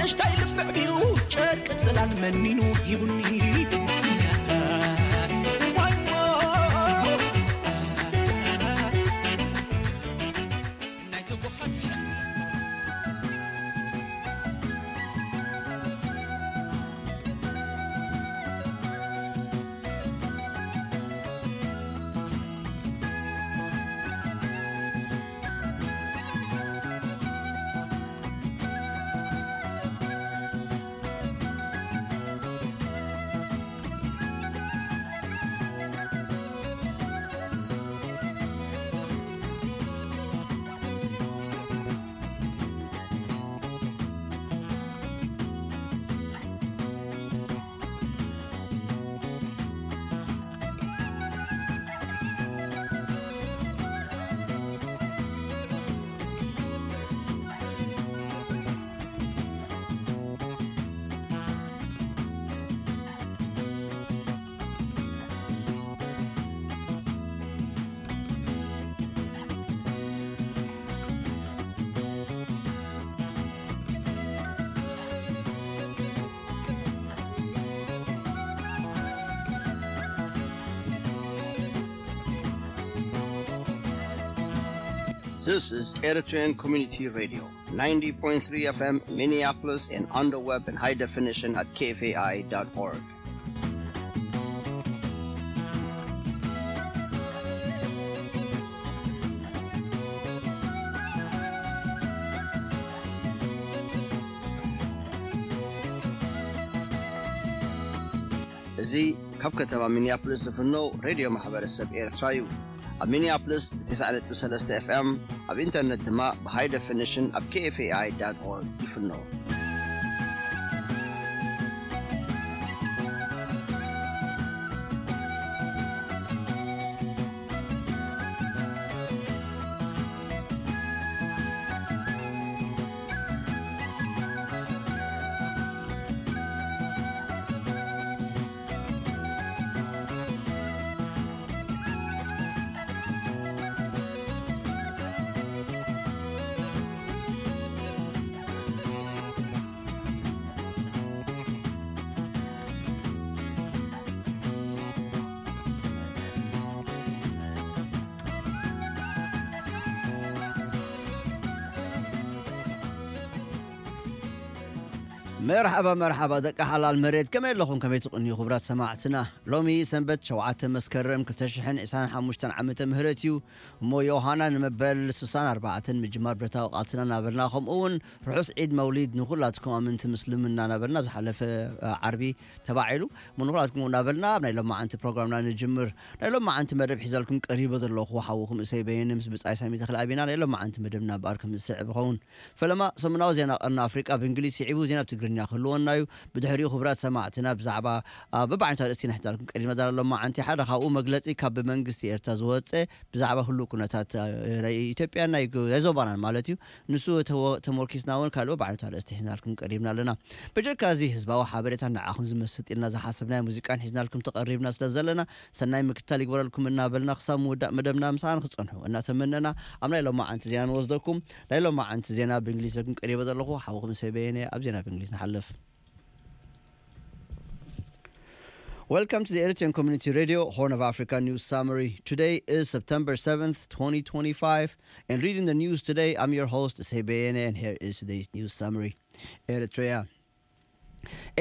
ንእሽታይ ልብዕ ድዩ ጨርቂ ጽላል መኒኑ ሂቡኒ። This is Eritrean Community Radio, ninety point three F M Minneapolis, and on the web in high definition at K F A I dot org. እዚ ካብ ከተማ ሚኒያፖሊስ ዝፍኖ ሬድዮ ማሕበረሰብ ኤርትራ እዩ። ኣብ ሚኒያፖሊስ ብ ተስዓ ነጥቢ ሰለስተ ኤፍ ኤም፣ ኣብ ኢንተርነት ድማ ብ ሃይ ደፊኒሽን ኣብ ኬ ኤፍ ኤ ኣይ ዳት ኦርግ ይፍኖ። መርሓባ፣ መርሓባ ደቂ ሓላል መሬት፣ ከመይ ኣለኹም? ከመይ ትቕንዩ ክቡራት ሰማዕትና? ሎሚ ሰንበት ሸውዓተ መስከረም ክልተ ሽሕን ዕስራን ሓሙሽተን ዓመተ ምህረት እዩ። እሞ ዮሃና ንመበል ስሳን ኣርባዕተን ምጅማር ብረታዊ ቃልስና እናበልና፣ ከምኡ እውን ርሑስ ዒድ መውሊድ ንኹላትኩም ኣመንቲ ምስልምና እናበልና፣ ኣብ ዝሓለፈ፣ እ፣ ዓርቢ ተባዒሉ። እሞ ንኹላትኩም እናበልና ኣብ ናይ ሎማዓንቲ ፕሮግራምና ንጅምር። ናይ ሎማዓንቲ መደብ ሒዘልኩም ቀሪበ ዘለኹ ሓውኹም እሰይ በየነ ምስ ብጻይ ሳሚ ተኽለኣብ ኢና። ናይ ሎማዓንቲ መደብና እምበኣር ከም ዝስዕብ ይኸውን። ፈለማ ሰሙናዊ ዜና ቀርኒ ኣፍሪቃ ብእንግሊዝ ስዒቡ ዜና ብትግርኛ ክህልወና እዩ። ብድሕሪኡ ክቡራት ሰማዕትና ብዛዕባ፣ አ፣ በብዓይነቱ ኣርእስቲ ኢና ሒዝናልኩም ቀሪብና ዘለና ሎማዓንቲ። ሓደ ካብኡ መግለጺ ካብ ብመንግስቲ ኤርትራ ዝወጸ ብዛዕባ ህሉው ኩነታት፣ አ፣ ናይ ኢትዮጵያን ናይ ግ-፣ ናይ ዞባናን ማለት እዩ። ንሱ ተወ-፣ ተሞርኪስና እውን ካልእ በብዓይነቱ ኣርእስቲ ሒዝናልኩም ቀሪብና ኣለና። ብጀካ እዚ ህዝባዊ ሓበሬታ ንዓኹም ዝመስጥ ኢልና ዝሓሰብናዮ ሙዚቃን ሒዝናልኩም ተቐሪብና ስለ ዘለና ሰናይ ምክትታል ይግበረልኩም እናበልና ክሳብ ምውዳእ መደብና ምሳና ንክትጸንሑ እናተመነና ኣብ ናይ ሎማዓንቲ ዜና ንወስደኩም። ናይ ሎማዓንቲ ዜና ብእንግሊዝ ዘኩም ቀሪበ ዘለኹ ሓውኹም ሰበየነ ኣብ ዜና ብእንግሊዝ ንሓልፍ። Welcome to the Eritrean Community Radio, Horn of Africa News Summary. Today is September seventh, twenty twenty-five, and reading the news today, I'm your host, Sebeyene, and here is today's news summary. Eritrea.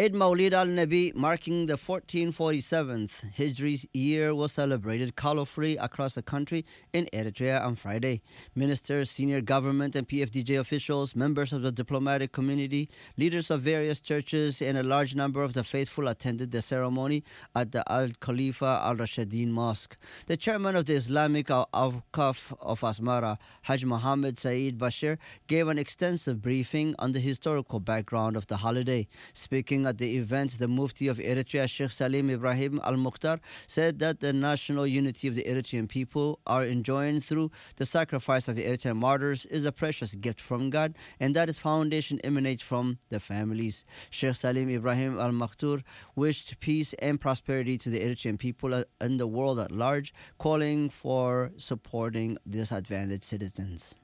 Eid Maulid al-Nabi, marking the fourteen forty-seventh Hijri year, was celebrated colorfully across the country in Eritrea on Friday. Ministers, senior government and P F D J officials, members of the diplomatic community, leaders of various churches, and a large number of the faithful attended the ceremony at the Al Khalifa Al Rashidin Mosque. The chairman of the Islamic Au-, Awqaf of Asmara, Haj Mohammed Saeed Bashir, gave an extensive briefing on the historical background of the holiday. Speaking at the event, the Mufti of Eritrea, Sheikh Salim Ibrahim Al Mukhtar, said that the national unity of the Eritrean people are enjoined through the sacrifice of the Eritrean martyrs is a precious gift from God, and that its foundation emanates from the families. Sheikh Salim Ibrahim Al Mukhtar wished peace and prosperity to the Eritrean people, uh, and the world at large, calling for supporting disadvantaged citizens.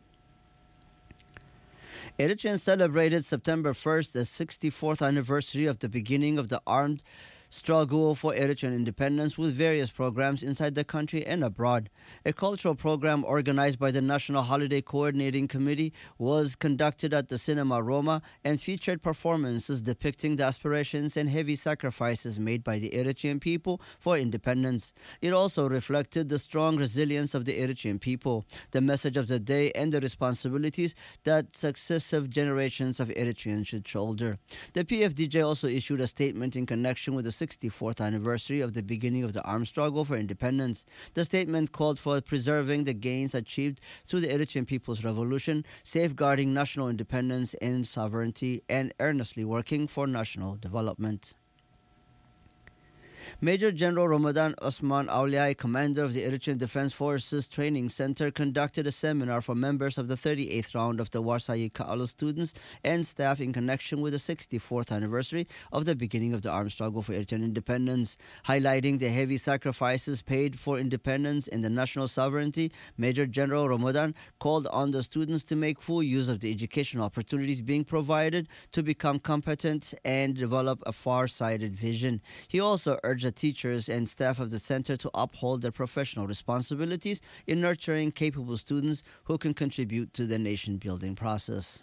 Eritreans celebrated September first, the sixty-fourth anniversary of the beginning of the armed struggle for Eritrean independence, with various programs inside the country and abroad. A cultural program organized by the National Holiday Coordinating Committee was conducted at the Cinema Roma and featured performances depicting the aspirations and heavy sacrifices made by the Eritrean people for independence. It also reflected the strong resilience of the Eritrean people, the message of the day, and the responsibilities that successive generations of Eritreans should shoulder. The P F D J also issued a statement in connection with the sixty-fourth anniversary of the beginning of the armed struggle for independence. The statement called for preserving the gains achieved through the Eritrean People's Revolution, safeguarding national independence and sovereignty, and earnestly working for national development. Major General Ramadan Osman Auliai, commander of the Eritrean Defense Forces Training Center, conducted a seminar for members of the thirty-eighth round of the Warsaw Yikaalo students and staff in connection with the sixty-fourth anniversary of the beginning of the armed struggle for Eritrean independence. Highlighting the heavy sacrifices paid for independence and the national sovereignty, Major General Ramadan called on the students to make full use of the educational opportunities being provided to become competent and develop a far-sighted vision. He also urged the teachers and staff of the center to uphold their professional responsibilities in nurturing capable students who can contribute to the nation-building process.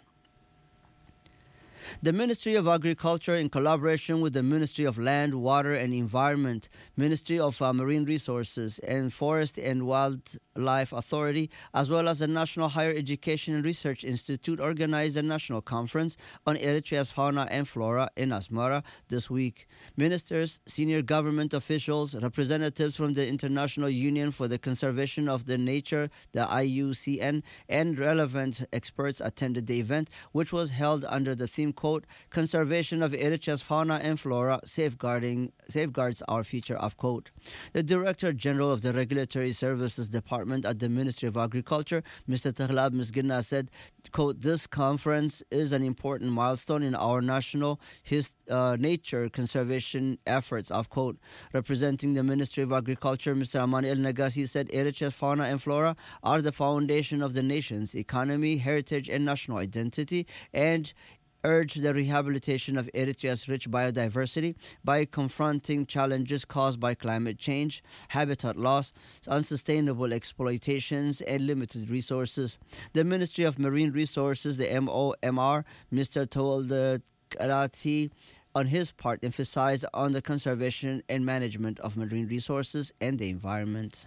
The Ministry of Agriculture, in collaboration with the Ministry of Land, Water and Environment, Ministry of uh, Marine Resources, and Forest and Wildlife Authority, as well as the National Higher Education and Research Institute, organized a national conference on Eritrea's fauna and flora in Asmara this week. Ministers, senior government officials, representatives from the International Union for the Conservation of the Nature, the I U C N, and relevant experts attended the event, which was held under the theme, quote, "Conservation of Eritrea's fauna and flora, safeguarding safeguards our future," of quote. The Director General of the Regulatory Services Department at the Ministry of Agriculture, Mister Taglab Misgina, said, quote, "This conference is an important milestone in our national his, uh, nature conservation efforts," of quote. Representing the Ministry of Agriculture, Mister Amanuel Nagasi said Eritrea's fauna and flora are the foundation of the nation's economy, heritage, and national identity, and urged the rehabilitation of Eritrea's rich biodiversity by confronting challenges caused by climate change, habitat loss, unsustainable exploitations, and limited resources. The Ministry of Marine Resources, the M O M R, Mister Towalde Karati, on his part, emphasized on the conservation and management of marine resources and the environment.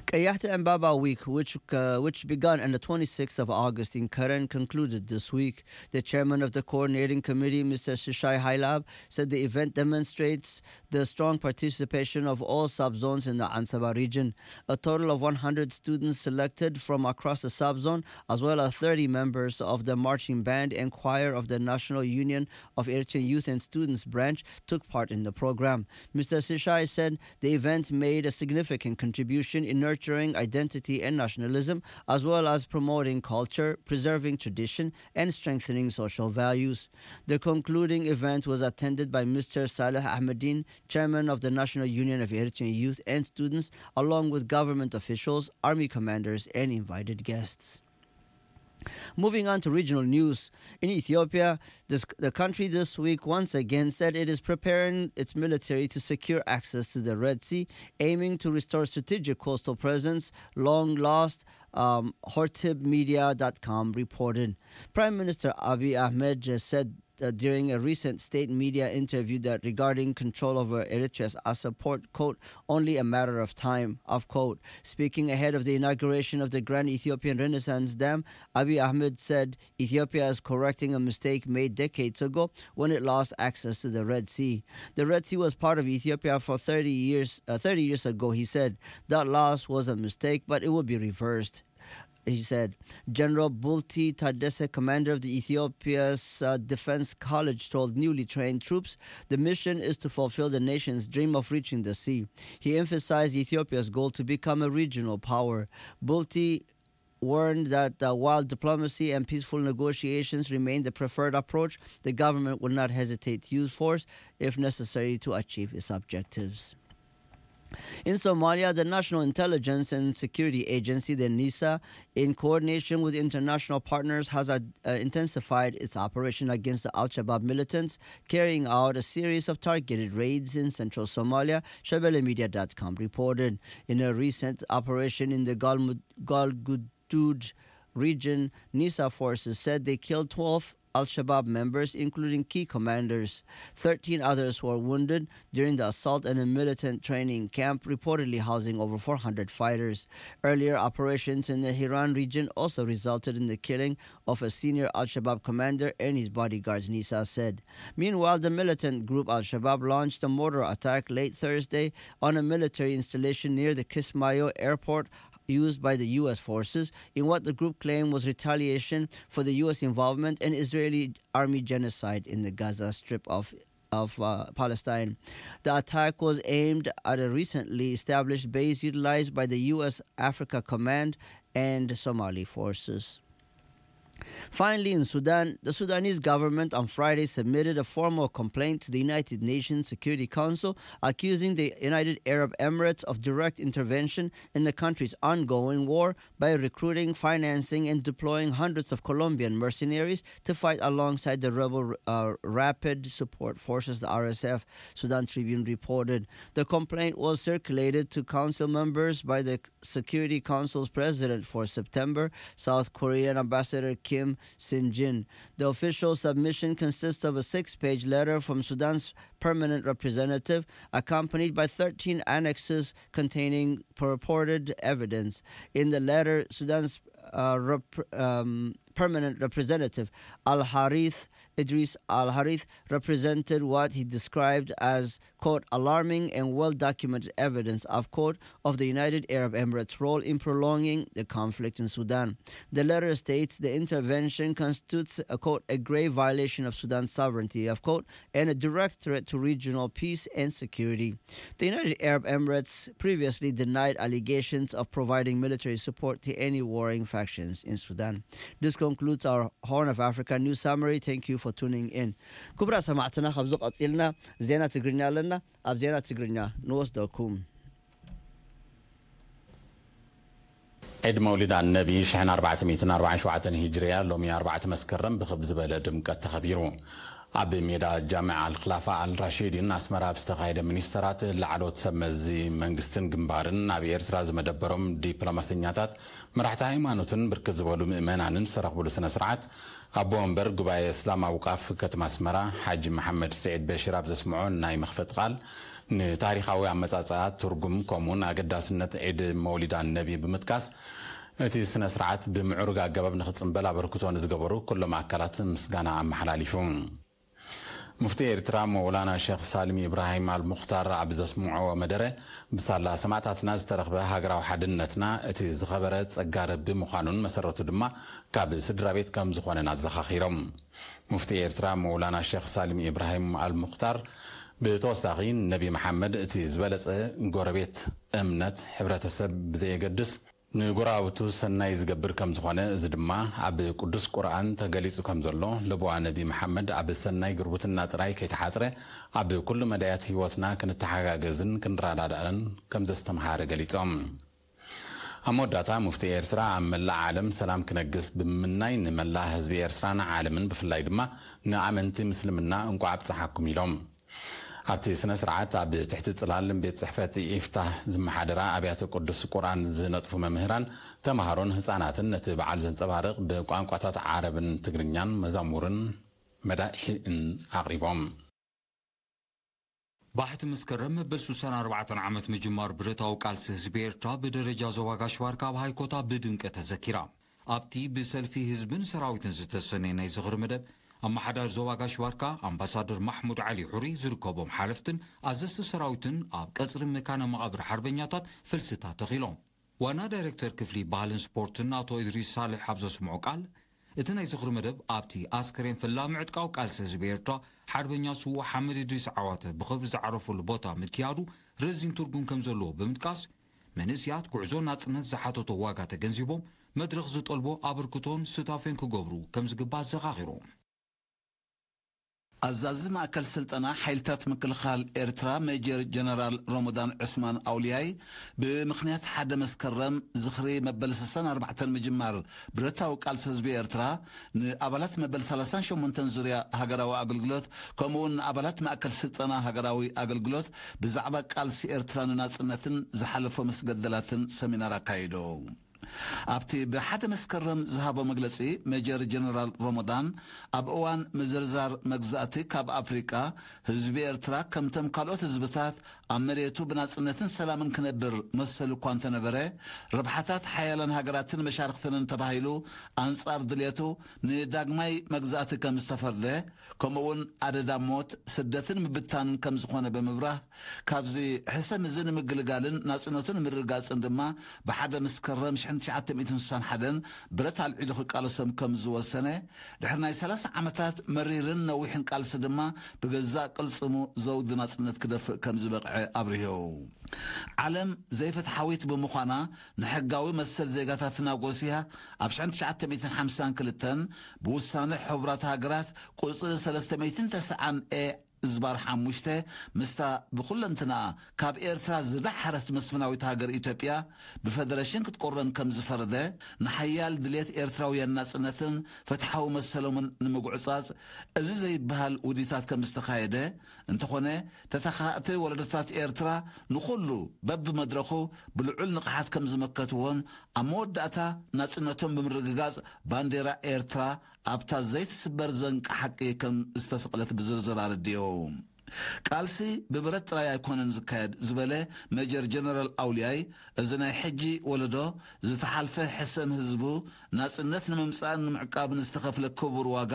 Kayahta Mbaba Week, which, uh, which began on the twenty-sixth of August in Karen, concluded this week. The chairman of the coordinating committee, Mister Shishai Hailab, said the event demonstrates the strong participation of all subzones in the Ansaba region. A total of one hundred students selected from across the subzone, as well as thirty members of the marching band and choir of the National Union of Eritrean Youth and Students branch, took part in the program. Mister Shishai said the event made a significant contribution in nurturing identity and nationalism, as well as promoting culture, preserving tradition, and strengthening social values. The concluding event was attended by Mister Saleh Ahmedin, chairman of the National Union of Eritrean Youth and Students, along with government officials, army commanders, and invited guests. Moving on to regional news. In Ethiopia, this, the country this week once again said it is preparing its military to secure access to the Red Sea, aiming to restore strategic coastal presence long lost, um, hortib media dot com reported. Prime Minister Abiy Ahmed just said uh, during a recent state media interview that regarding control over Eritrea's Assab port, quote, "only a matter of time," of quote. Speaking ahead of the inauguration of the Grand Ethiopian Renaissance Dam, Abiy Ahmed said Ethiopia is correcting a mistake made decades ago when it lost access to the Red Sea. "The Red Sea was part of Ethiopia for thirty years, uh, thirty years ago," he said. "That loss was a mistake, but it will be reversed," he said. General Bulti Tadesse, commander of the Ethiopia's uh, Defense College, told newly trained troops the mission is to fulfill the nation's dream of reaching the sea. He emphasized Ethiopia's goal to become a regional power. Bulti warned that uh, while diplomacy and peaceful negotiations remain the preferred approach, the government will not hesitate to use force if necessary to achieve its objectives. In Somalia, the National Intelligence and Security Agency, the NISA, in coordination with international partners, has uh, intensified its operation against the Al Shabaab militants, carrying out a series of targeted raids in central Somalia, Shabelle Media dot com reported. In a recent operation in the Galmud- Galgudude region, NISA forces said they killed twelve Al Shabaab members, including key commanders. Thirteen others were wounded during the assault at a militant training camp, reportedly housing over four hundred fighters. Earlier operations in the Hiran region also resulted in the killing of a senior Al Shabaab commander and his bodyguards, NISA said. Meanwhile, the militant group Al Shabaab launched a mortar attack late Thursday on a military installation near the Kismayo airport used by the U S forces in what the group claimed was retaliation for the U S involvement in Israeli army genocide in the Gaza Strip of of uh, Palestine. The attack was aimed at a recently established base utilized by the U S Africa Command and Somali forces. Finally, in Sudan, the Sudanese government on Friday submitted a formal complaint to the United Nations Security Council, accusing the United Arab Emirates of direct intervention in the country's ongoing war by recruiting, financing, and deploying hundreds of Colombian mercenaries to fight alongside the rebel uh, Rapid Support Forces, the R S F, Sudan Tribune reported. The complaint was circulated to council members by the Security Council's president for September, South Korean Ambassador Kim Sin-jin. The official submission consists of a six-page letter from Sudan's permanent representative, accompanied by thirteen annexes containing purported evidence. In the letter, Sudan's uh, rep- um, permanent representative, Al Harith Idris Al Harith, represented what he described as, quote, alarming and well documented evidence of, quote, of the United Arab Emirates' role in prolonging the conflict in Sudan. The letter states the intervention constitutes a, quote, a grave violation of Sudan's sovereignty, of, quote, and a direct threat to regional peace and security. The United Arab Emirates previously denied allegations of providing military support to any warring factions in Sudan. This concludes our Horn of Africa news summary. Thank you for tuning in. ክቡራት ሰማዕትና፣ ካብዚ ቀጺልና ዜና ትግርኛ ኣለና። ኣብ ዜና ትግርኛ ንወስደኩም። ዒድ መውሊድ ኣነቢ ሽሕን ኣርባዕተ ሚእትን ኣርባዓን ሸውዓተን ሂጅርያ ሎሚ ኣርባዕተ መስከረም ብኽብ ዝበለ ድምቀት ተኸቢሩ። ኣብ ሜዳ ጃምዕ ኣልክላፋ ኣልራሺዲን ኣስመራ ኣብ ዝተኻየደ፣ ሚኒስተራት፣ ላዕለዎት ሰብ መዚ መንግስትን ግንባርን፣ ኣብ ኤርትራ ዝመደበሮም ዲፕሎማሰኛታት፣ መራሕቲ ሃይማኖትን ብርክት ዝበሉ ምእመናንን ዝተረኽብሉ ስነ ስርዓት፣ ኣቦ ወንበር ጉባኤ እስላም ኣውቃፍ ከተማ ኣስመራ ሓጂ መሓመድ ስዒድ በሽር ኣብ ዘስምዖ ናይ መኽፈቲ ቃል፣ ንታሪኻዊ ኣመጻጽኣ፣ ትርጉም፣ ከምኡውን ኣገዳስነት ዒድ መውሊድ ኣነቢ ብምጥቃስ፣ እቲ ስነ ስርዓት ብምዕሩግ ኣገባብ ንኽጽንበል ኣበርክቶ ንዝገበሩ ኩሎም ኣካላት ምስጋና ኣመሓላሊፉ። ሙፍቲ ኤርትራ መውላና ሸኽ ሳልም ኢብራሂም ኣልሙኽታር ኣብ ዘስምዖ መደረ፣ ብሳላ ሰማዕታትና ዝተረኽበ ሃገራዊ ሓድነትና እቲ ዝኸበረ ጸጋ ረቢ ምዃኑን መሰረቱ ድማ ካብ ስድራ ቤት ከም ዝኾነን ኣዘኻኺሮም። ሙፍቲ ኤርትራ መውላና ሸኽ ሳልም ኢብራሂም ኣልሙኽታር ብተወሳኺ፣ ነቢ መሓመድ እቲ ዝበለጸ ጎረቤት፣ እምነት፣ ሕብረተሰብ ብዘየገድስ ንጎረባብቱ ሰናይ ዝገብር ከም ዝኾነ፣ እዚ ድማ ኣብ ቅዱስ ቁርኣን ተገሊጹ ከም ዘሎ፣ ለቦዋ ነቢ መሓመድ ኣብ ሰናይ ጉርብትና ጥራይ ከይተሓጽረ፣ ኣብ ኩሉ መዳያት ህይወትና ክንተሓጋገዝን ክንረዳዳእን ከም ዘስተምሃረ ገሊጾም። ኣብ መወዳእታ፣ ሙፍቲ ኤርትራ ኣብ መላእ ዓለም ሰላም ክነግስ ብምምናይ፣ ንመላእ ህዝቢ ኤርትራን ዓለምን ብፍላይ ድማ ንኣመንቲ ምስልምና እንቋዕ ኣብጽሓኩም ኢሎም። ኣብቲ ስነ ስርዓት ኣብ ትሕቲ ጽላል ቤት ጽሕፈት ኢፍታህ ዝመሓደራ ኣብያተ ቅዱስ ቁርኣን ዝነጥፉ መምህራን፣ ተማሃሮን ህጻናትን ነቲ በዓል ዘንጸባርቕ ብቋንቋታት ዓረብን ትግርኛን መዛሙርን መዳኢሕን ኣቕሪቦም። ባሕቲ መስከረም መበል ሱሳን ኣርባዕተን ዓመት ምጅማር ብረታዊ ቃልሲ ህዝቢ ኤርትራ ብደረጃ ዞባ ጋሽ ባርካ ኣብ ሃይኮታ ብድምቀት ተዘኪራ። ኣብቲ ብሰልፊ ህዝብን ሰራዊትን ዝተሰነየ ናይ ዝኽሪ መደብ፣ ኣመሓዳሪ ዞባ ጋሽ ባርካ ኣምባሳደር ማሕሙድ ዓሊ ሑሪ ዝርከቦም ሓለፍትን ኣዘዝቲ ሰራዊትን ኣብ ቀጽሪ መካነ መቓብር ሓርበኛታት ፍልስታት ተኺሎም። ዋና ዳይሬክተር ክፍሊ ባህልን ስፖርትን ኣቶ ኢድሪስ ሳልሕ ኣብ ዘስምዖ ቃል፣ እቲ ናይ ዝኽሪ መደብ ኣብቲ ኣስከሬን ፈላሚ ዕጥቃዊ ቃልሲ ህዝቢ ኤርትራ ሓርበኛ ስዉእ ሓመድ ኢድሪስ ዓዋተ ብኽብሪ ዝዓረፈሉ ቦታ ምክያዱ ረዚን ትርጉም ከም ዘለዎ ብምጥቃስ፣ መንእስያት ጉዕዞ ናጽነት ዝሓተቶ ዋጋ ተገንዚቦም፣ መድረኽ ዝጠልቦ ኣበርክቶን ስታፌን ክገብሩ ከም ዝግባእ ኣዘኻኺሮም። ኣዛዚ ማእከል ስልጠና ሓይልታት ምክልኻል ኤርትራ ሜጀር ጀነራል ሮሞዳን ዑስማን ኣውልያይ፣ ብምኽንያት ሓደ መስከረም ዝኽሪ መበል ስሳን ኣርባዕተን ምጅማር ብረታዊ ቃልሲ ህዝቢ ኤርትራ፣ ንኣባላት መበል ሰላሳን ሸሞንተን ዙርያ ሃገራዊ ኣገልግሎት፣ ከምኡውን ንኣባላት ማእከል ስልጠና ሃገራዊ ኣገልግሎት ብዛዕባ ቃልሲ ኤርትራ ንናጽነትን ዝሓለፎ መስገደላትን ሰሚናር ኣካይዱ። ኣብቲ ብሓደ መስከረም ዝሃቦ መግለጺ፣ ሜጀር ጀነራል ሮሞዳን፣ ኣብ እዋን ምዝርዛር መግዛእቲ ካብ ኣፍሪቃ፣ ህዝቢ ኤርትራ ከምቶም ካልኦት ህዝብታት ኣብ መሬቱ ብናጽነትን ሰላምን ክነብር መሰሉ እኳ እንተነበረ፣ ረብሓታት ሓያላን ሃገራትን መሻርኽተንን ተባሂሉ ኣንጻር ድልየቱ ንዳግማይ መግዛእቲ ከም ዝተፈርደ፣ ከምኡውን ኣደዳ ሞት፣ ስደትን ምብታንን ከም ዝኾነ ብምብራህ፣ ካብዚ ሕሰም እዚ ንምግልጋልን ናጽነቱ ንምርግጋጽን ድማ ብሓደ መስከረም ሽሕን ትሽዓተ ሚእትን ስሳን ሓደን ብረት ኣልዒሉ ክቃለሶም ከም ዝወሰነ፣ ድሕሪ ናይ ሰላሳ ዓመታት መሪርን ነዊሕን ቃልሲ ድማ ብገዛእ ቅልጽሙ ዘውዲ ናጽነት ክደፍእ ከም ዝበቕዐ ኣብሪሁ። ዓለም ዘይፍትሓዊት ብምዃና፣ ንሕጋዊ መሰል ዜጋታትና ጎሲያ ኣብ ሽሕን ትሽዓተ ሚእትን ሓምሳን ክልተን ብውሳነ ሕቡራት ሃገራት ቁጽሪ ሰለስተ ሚእትን ተስዓን ኤ እዝባር ሓሙሽተ፣ ምስታ ብኹለንትናኣ ካብ ኤርትራ ዝደሓረት መስፍናዊት ሃገር ኢትዮጵያ ብፈደረሽን ክትቆረን ከም ዝፈረደ፣ ንሓያል ድልየት ኤርትራውያን ናጽነትን ፍትሓዊ መሰሎምን ንምጉዕጻጽ እዚ ዘይበሃል ውዲታት ከም ዝተኻየደ፣ እንተኾነ ተተኻእቲ ወለዶታት ኤርትራ ንኹሉ በብመድረኹ ብልዑል ንቕሓት ከም ዝመከትዎን ኣብ መወዳእታ ናጽነቶም ብምርግጋጽ ባንዴራ ኤርትራ ኣብታ ዘይትስበር ዘንቂ ሓቂ ከም ዝተሰቕለት ብዝርዝር ኣረዲኡ። ቃልሲ ብብረት ጥራይ ኣይኮነን ዝካየድ ዝበለ ሜጀር ጀነራል ኣውልያይ፣ እዚ ናይ ሕጂ ወለዶ ዝተሓልፈ ሕሰም ህዝቡ ናጽነት ንምምጻእን ንምዕቃብን ዝተኸፍለ ክቡር ዋጋ፣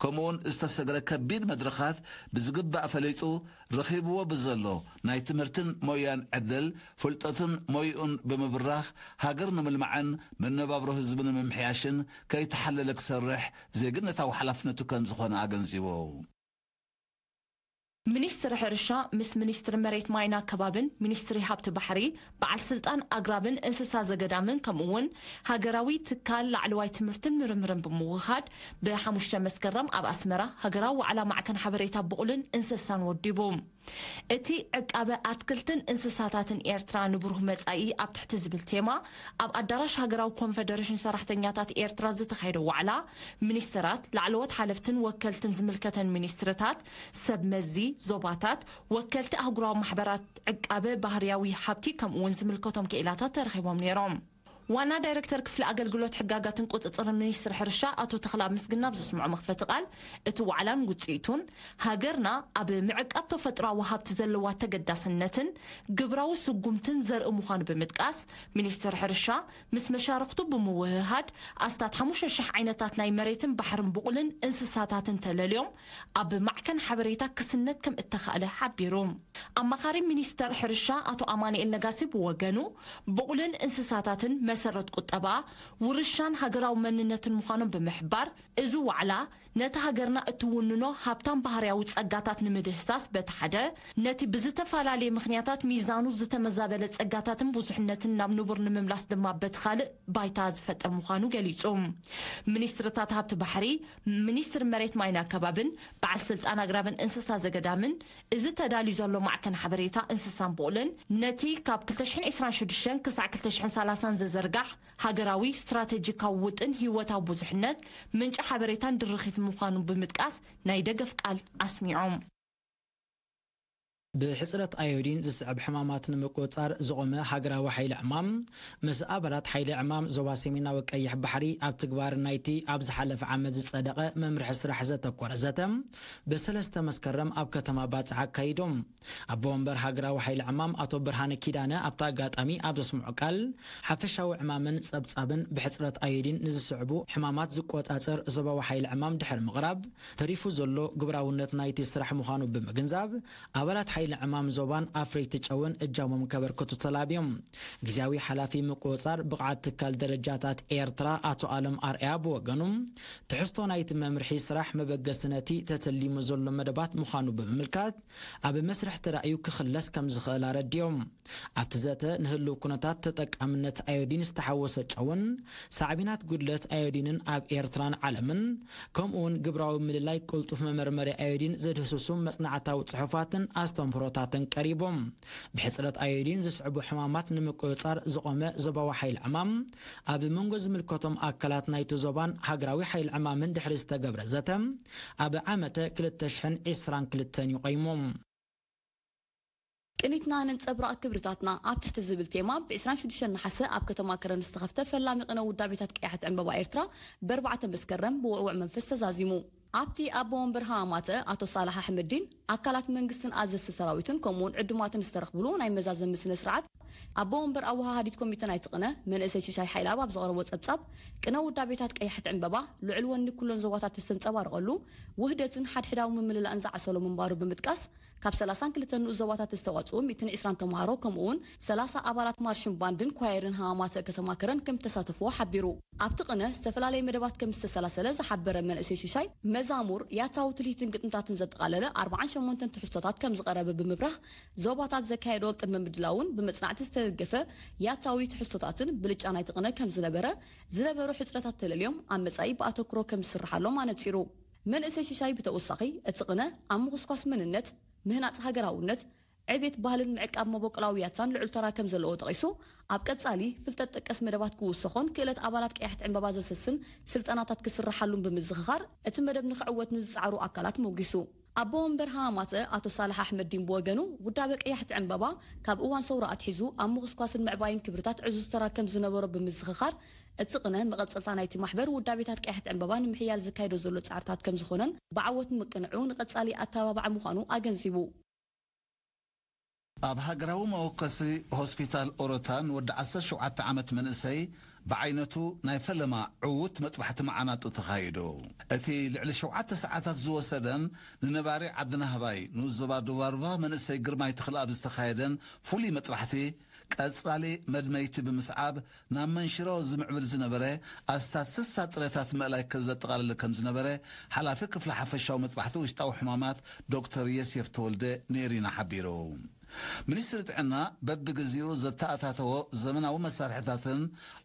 ከምኡውን ዝተሰግረ ከቢድ መድረኻት ብዝግባእ ፈሊጡ፣ ረኺብዎ ብዘሎ ናይ ትምህርትን ሞያን ዕድል፣ ፍልጠቱን ሞይኡን ብምብራኽ፣ ሃገር ንምልማዕን መነባብሮ ህዝቢ ንምምሕያሽን ከይተሓለለ ክሰርሕ ዜግነታዊ ሓላፍነቱ ከም ዝኾነ ኣገንዚቡ። ሚኒስትሪ ሕርሻ ምስ ሚኒስትሪ መሬት ማይና ከባብን ሚኒስትሪ ሃብቲ ባሕሪ፣ በዓል ስልጣን ኣግራብን እንስሳ ዘገዳምን ከምኡ እውን ሃገራዊ ትካል ላዕለዋይ ትምህርትን ምርምርን ብምውህሃድ ብሓሙሽተ መስከረም ኣብ ኣስመራ ሃገራዊ ዋዕላ ማዕከን ሓበሬታ ብቑልን እንስሳን ወዲቡ። እቲ ዕቃበ ኣትክልትን እንስሳታትን ኤርትራ ንብሩህ መጻኢ ኣብ ትሕቲ ዝብል ቴማ ኣብ ኣዳራሽ ሃገራዊ ኮንፈደሬሽን ሰራሕተኛታት ኤርትራ ዝተኻየደ ዋዕላ፣ ሚኒስትራት፣ ላዕለዎት ሓለፍትን ወከልትን ዝምልከተን ሚኒስትርታት፣ ሰብ መዚ ዞባታት፣ ወከልቲ ኣህጉራዊ ማሕበራት ዕቃበ ባህርያዊ ሃብቲ ከምኡ እውን ዝምልከቶም ክኢላታት ተረኺቦም ነይሮም። ዋና ዳይረክተር ክፍሊ ኣገልግሎት ሕጋጋትን ቁጽጽርን ሚኒስትሪ ሕርሻ ኣቶ ተኽላ ምስግና ኣብ ዘስምዖ መኽፈቲ ቃል፣ እቲ ዋዕላን ውጽኢቱን ሃገርና ኣብ ምዕቃብ ተፈጥሮኣዊ ሃብቲ ዘለዋ ተገዳስነትን ግብራዊ ስጉምትን ዘርኢ ምዃኑ ብምጥቃስ፣ ሚኒስትሪ ሕርሻ ምስ መሻርኽቱ ብምውህሃድ ኣስታት ሓሙሽተ ሽሕ ዓይነታት ናይ መሬትን ባሕርን ብቑልን እንስሳታትን ተለልዮም ኣብ ማዕከን ሓበሬታ ክስነድ ከም እተኻእለ ሓቢሩ። ኣማኻሪ ሚኒስተር ሕርሻ ኣቶ ኣማኑኤል ነጋሲ ብወገኑ፣ ብቑልን እንስሳታትን መሰረት ቁጠባ፣ ውርሻን ሃገራዊ መንነትን ምዃኖም ብምሕባር፣ እዚ ዋዕላ ነቲ ሃገርና እትውንኖ ሃብታም ባህርያዊ ጸጋታት ንምድህሳስ በቲ ሓደ፣ ነቲ ብዝተፈላለየ ምኽንያታት ሚዛኑ ዝተመዛበለ ጸጋታትን ብዙሕነትን ናብ ንቡር ንምምላስ ድማ በቲ ካልእ ባይታ ዝፈጥር ምዃኑ ገሊጹ። ሚኒስትርታት ሃብቲ ባሕሪ፣ ሚኒስትሪ መሬት ማይን ኣከባብን በዓል ስልጣን ኣግራብን እንስሳ ዘገዳምን፣ እዚ ተዳልዩ ዘሎ ማዕከን ሓበሬታ እንስሳን ብቑልን፣ ነቲ ካብ ክልተ ሽሕን ዕስራን ሽዱሽተን ክሳዕ ክልተ ሽሕን ሰላሳን ዝዝርጋሕ ሃገራዊ ስትራተጂካዊ ውጥን ህይወታዊ ብዙሕነት፣ ምንጪ ሓበሬታን ድርኺት ምዃኑ ብምጥቃስ፣ ናይ ደገፍ ቃል ኣስሚዖም። ብሕጽረት ኣዮዲን ዝስዕብ ሕማማት ንምቁጽጻር ዝቖመ ሃገራዊ ሓይሊ ዕማም፣ ምስ ኣባላት ሓይሊ ዕማም ዞባ ሰሜናዊ ቀይሕ ባሕሪ ኣብ ትግባር ናይቲ ኣብ ዝሓለፈ ዓመት ዝጸደቐ መምርሒ ስራሕ ዘተኮረ ዘተ፣ ብሰለስተ መስከረም ኣብ ከተማ ባጽዕ ኣካይዶም። ኣቦ ወንበር ሃገራዊ ሓይሊ ዕማም ኣቶ ብርሃነ ኪዳነ ኣብቲ ኣጋጣሚ ኣብ ዘስምዖ ቃል፣ ሓፈሻዊ ዕማምን ጸብጻብን ብሕጽረት ኣዮዲን ንዝስዕቡ ሕማማት ዝቆጻጸር ዞባዊ ሓይሊ ዕማም ድሕሪ ምቕራብ፣ ተሪፉ ዘሎ ግብራውነት ናይቲ ስራሕ ምዃኑ ብምግንዛብ፣ ኣባላት ሓይሊ ዕማም ዞባን ኣፍረይቲ ጨውን እጃሞም ከበርክቱ ተላብዮም። ግዜያዊ ሓላፊ ምቁጽጻር ብቕዓት ትካል ደረጃታት ኤርትራ ኣቶ ኣለም ኣርኣያ ብወገኑ፣ ትሕዝቶ ናይቲ መምርሒ ስራሕ መበገሲ ነቲ ተተሊሙ ዘሎ መደባት ምዃኑ ብምምልካት፣ ኣብ መስርሕ ተራእዩ ክኽለስ ከም ዝኽእል ኣረዲኦም። ኣብቲ ዘተ ንህልው ኩነታት ተጠቃምነት ኣዮዲን ዝተሓወሰ ጨውን ሳዕቤናት ጉድለት ኣዮዲንን ኣብ ኤርትራን ዓለምን፣ ከምኡውን ግብራዊ ምልላይ ቅልጡፍ መመርመሪ ኣዮዲን ዘድህስሱ መጽናዕታዊ ጽሑፋትን ኣስተምህሮታትን ቀሪቦም። ብሕጽረት ኣዮዲን ዝስዕቡ ሕማማት ንምቁጽጻር ዝቖመ ዞባዊ ሓይሊ ዕማም፣ ኣብ መንጎ ዝምልከቶም ኣካላት ናይቲ ዞባን ሃገራዊ ሓይሊ ዕማምን ድሕሪ ዝተገብረ ዘተ፣ ኣብ ዓመተ ክልተ ሽሕን ዕስራን ክልተን እዩ ቆይሙ። ቅኒትና ነንጸብራቕ ክብርታትና ኣብ ትሕቲ ዝብል ቴማ ብ ዕስራን ሽዱሽተን ነሓሰ ኣብ ከተማ ከረን ዝተኸፍተ ፈላሚ ቅነ ውዳቤታት ቀያሕቲ ዕምበባ ኤርትራ ብ ኣርባዕተ መስከረም ብውዕውዕ መንፈስ ተዛዚሙ። ኣብቲ ኣቦ ወንበር ሃማማተ ኣቶ ሳላሕ ኣሕመዲን ኣካላት መንግስትን ኣዘዝቲ ሰራዊትን ከምኡውን ዕዱማትን ዝተረኽብሉ ናይ መዛዘሚ ስነ ስርዓት ኣቦ ወንበር ኣወሃሃዲት ኮሚተ ናይቲ ቅነ መንእሰይ ሽሻይ ሓይላብ ኣብ ዘቕረቦ ጸብጻብ፣ ቅነ ውዳቤታት ቀያሕቲ ዕምበባ ልዑል ወኒ ኩለን ዞባታት ዝተንጸባረቐሉ፣ ውህደትን ሓድሕዳዊ ምምልላእን ዝዓሰሎ ምንባሩ ብምጥቃስ፣ ካብ ሰላሳን ክልተን ንኡስ ዞባታት ዝተዋጽኡ ሚእትን ዕስራን ተምሃሮ፣ ከምኡውን ሰላሳ ኣባላት ማርሽን ባንድን ኳየርን ሃማማተ ከተማ ከረን ከም ዝተሳተፍዎ ሓቢሩ። ኣብቲ ቅነ ዝተፈላለየ መደባት ከም ዝተሰላሰለ ዝሓበረ መንእሰይ ሽሻይ፣ መዛሙር፣ ያታዊ ትልሂትን ግጥምታትን ዘጠቓለለ ኣርባዓን ሸሞንተን ትሕዝቶታት ከም ዝቐረበ ብምብራህ፣ ዞባታት ዘካየዶ ቅድመ ምድላውን ብመጽናዕቲ ዝተደገፈ ያታዊ ትሕዝቶታትን ብልጫ ናይቲ ቅነ ከም ዝነበረ፣ ዝነበሩ ሕጽረታት ተለልዮም ኣብ መጻኢ ብኣተኩሮ ከም ዝስርሓሎም ኣነጺሩ። መንእሰይ ሽሻይ ብተወሳኺ፣ እቲ ቅነ ኣብ ምኹስኳስ መንነት፣ ምህናጽ ሃገራውነት፣ ዕቤት ባህልን ምዕቃብ መበቆላዊ ያታን ልዑል ተራ ከም ዘለዎ ጠቒሱ፣ ኣብ ቀጻሊ ፍልጠት ጠቀስ መደባት ክውሰኾን ክእለት ኣባላት ቀያሕቲ ዕምበባ ዘሰስን ስልጠናታት ክስርሓሉን ብምዝኽኻር፣ እቲ መደብ ንኽዕወት ንዝጸዓሩ ኣካላት ሞጒሱ። ኣቦ ወንበር ሃማማተ ኣቶ ሳልሕ ኣሕመዲን ብወገኑ፣ ውዳበ ቀያሕቲ ዕምበባ ካብ እዋን ሰውራ ኣትሒዙ ኣብ ምኹስኳስን ምዕባይን ክብርታት ዕዙዝ ተራ ከም ዝነበሮ ብምዝኽኻር፣ እቲ ቅነ መቐጸልታ ናይቲ ማሕበር ውዳቤታት ቀያሕቲ ዕምበባ ንምሕያል ዘካይዶ ዘሎ ጻዕርታት ከም ዝኾነን ብዓወት ምቅንዑ ንቐጻሊ ኣተባባዒ ምዃኑ ኣገንዚቡ። ኣብ ሃገራዊ መወከሲ ሆስፒታል ኦሮታ ንወዲ ዓሰርተ ሸውዓተ ዓመት መንእሰይ ብዓይነቱ ናይ ፈለማ ዕዉት መጥባሕቲ መዓናጡ ተኻይዱ። እቲ ልዕሊ ሸውዓተ ሰዓታት ዝወሰደን ንነባሪ ዓዲ ናህባይ ንኡስ ዞባ ዱባርባ መንእሰይ ግርማይ ተኽለኣብ ዝተኻየደን ፍሉይ መጥባሕቲ ቀጻሊ መድመይቲ ብምስዓብ ናብ መንሽሮ ዝምዕብል ዝነበረ ኣስታት ስሳ ጥረታት ምእላይ ዘጠቓለለ ከም ዝነበረ ሓላፊ ክፍሊ ሓፈሻዊ መጥባሕቲ ውሽጣዊ ሕማማት ዶክተር የሴፍ ተወልደ ንኤሪና ሓቢሩ። ሚኒስትሪ ጥዕና በብግዜኡ ዘተኣታተዎ ዘመናዊ መሳርሕታትን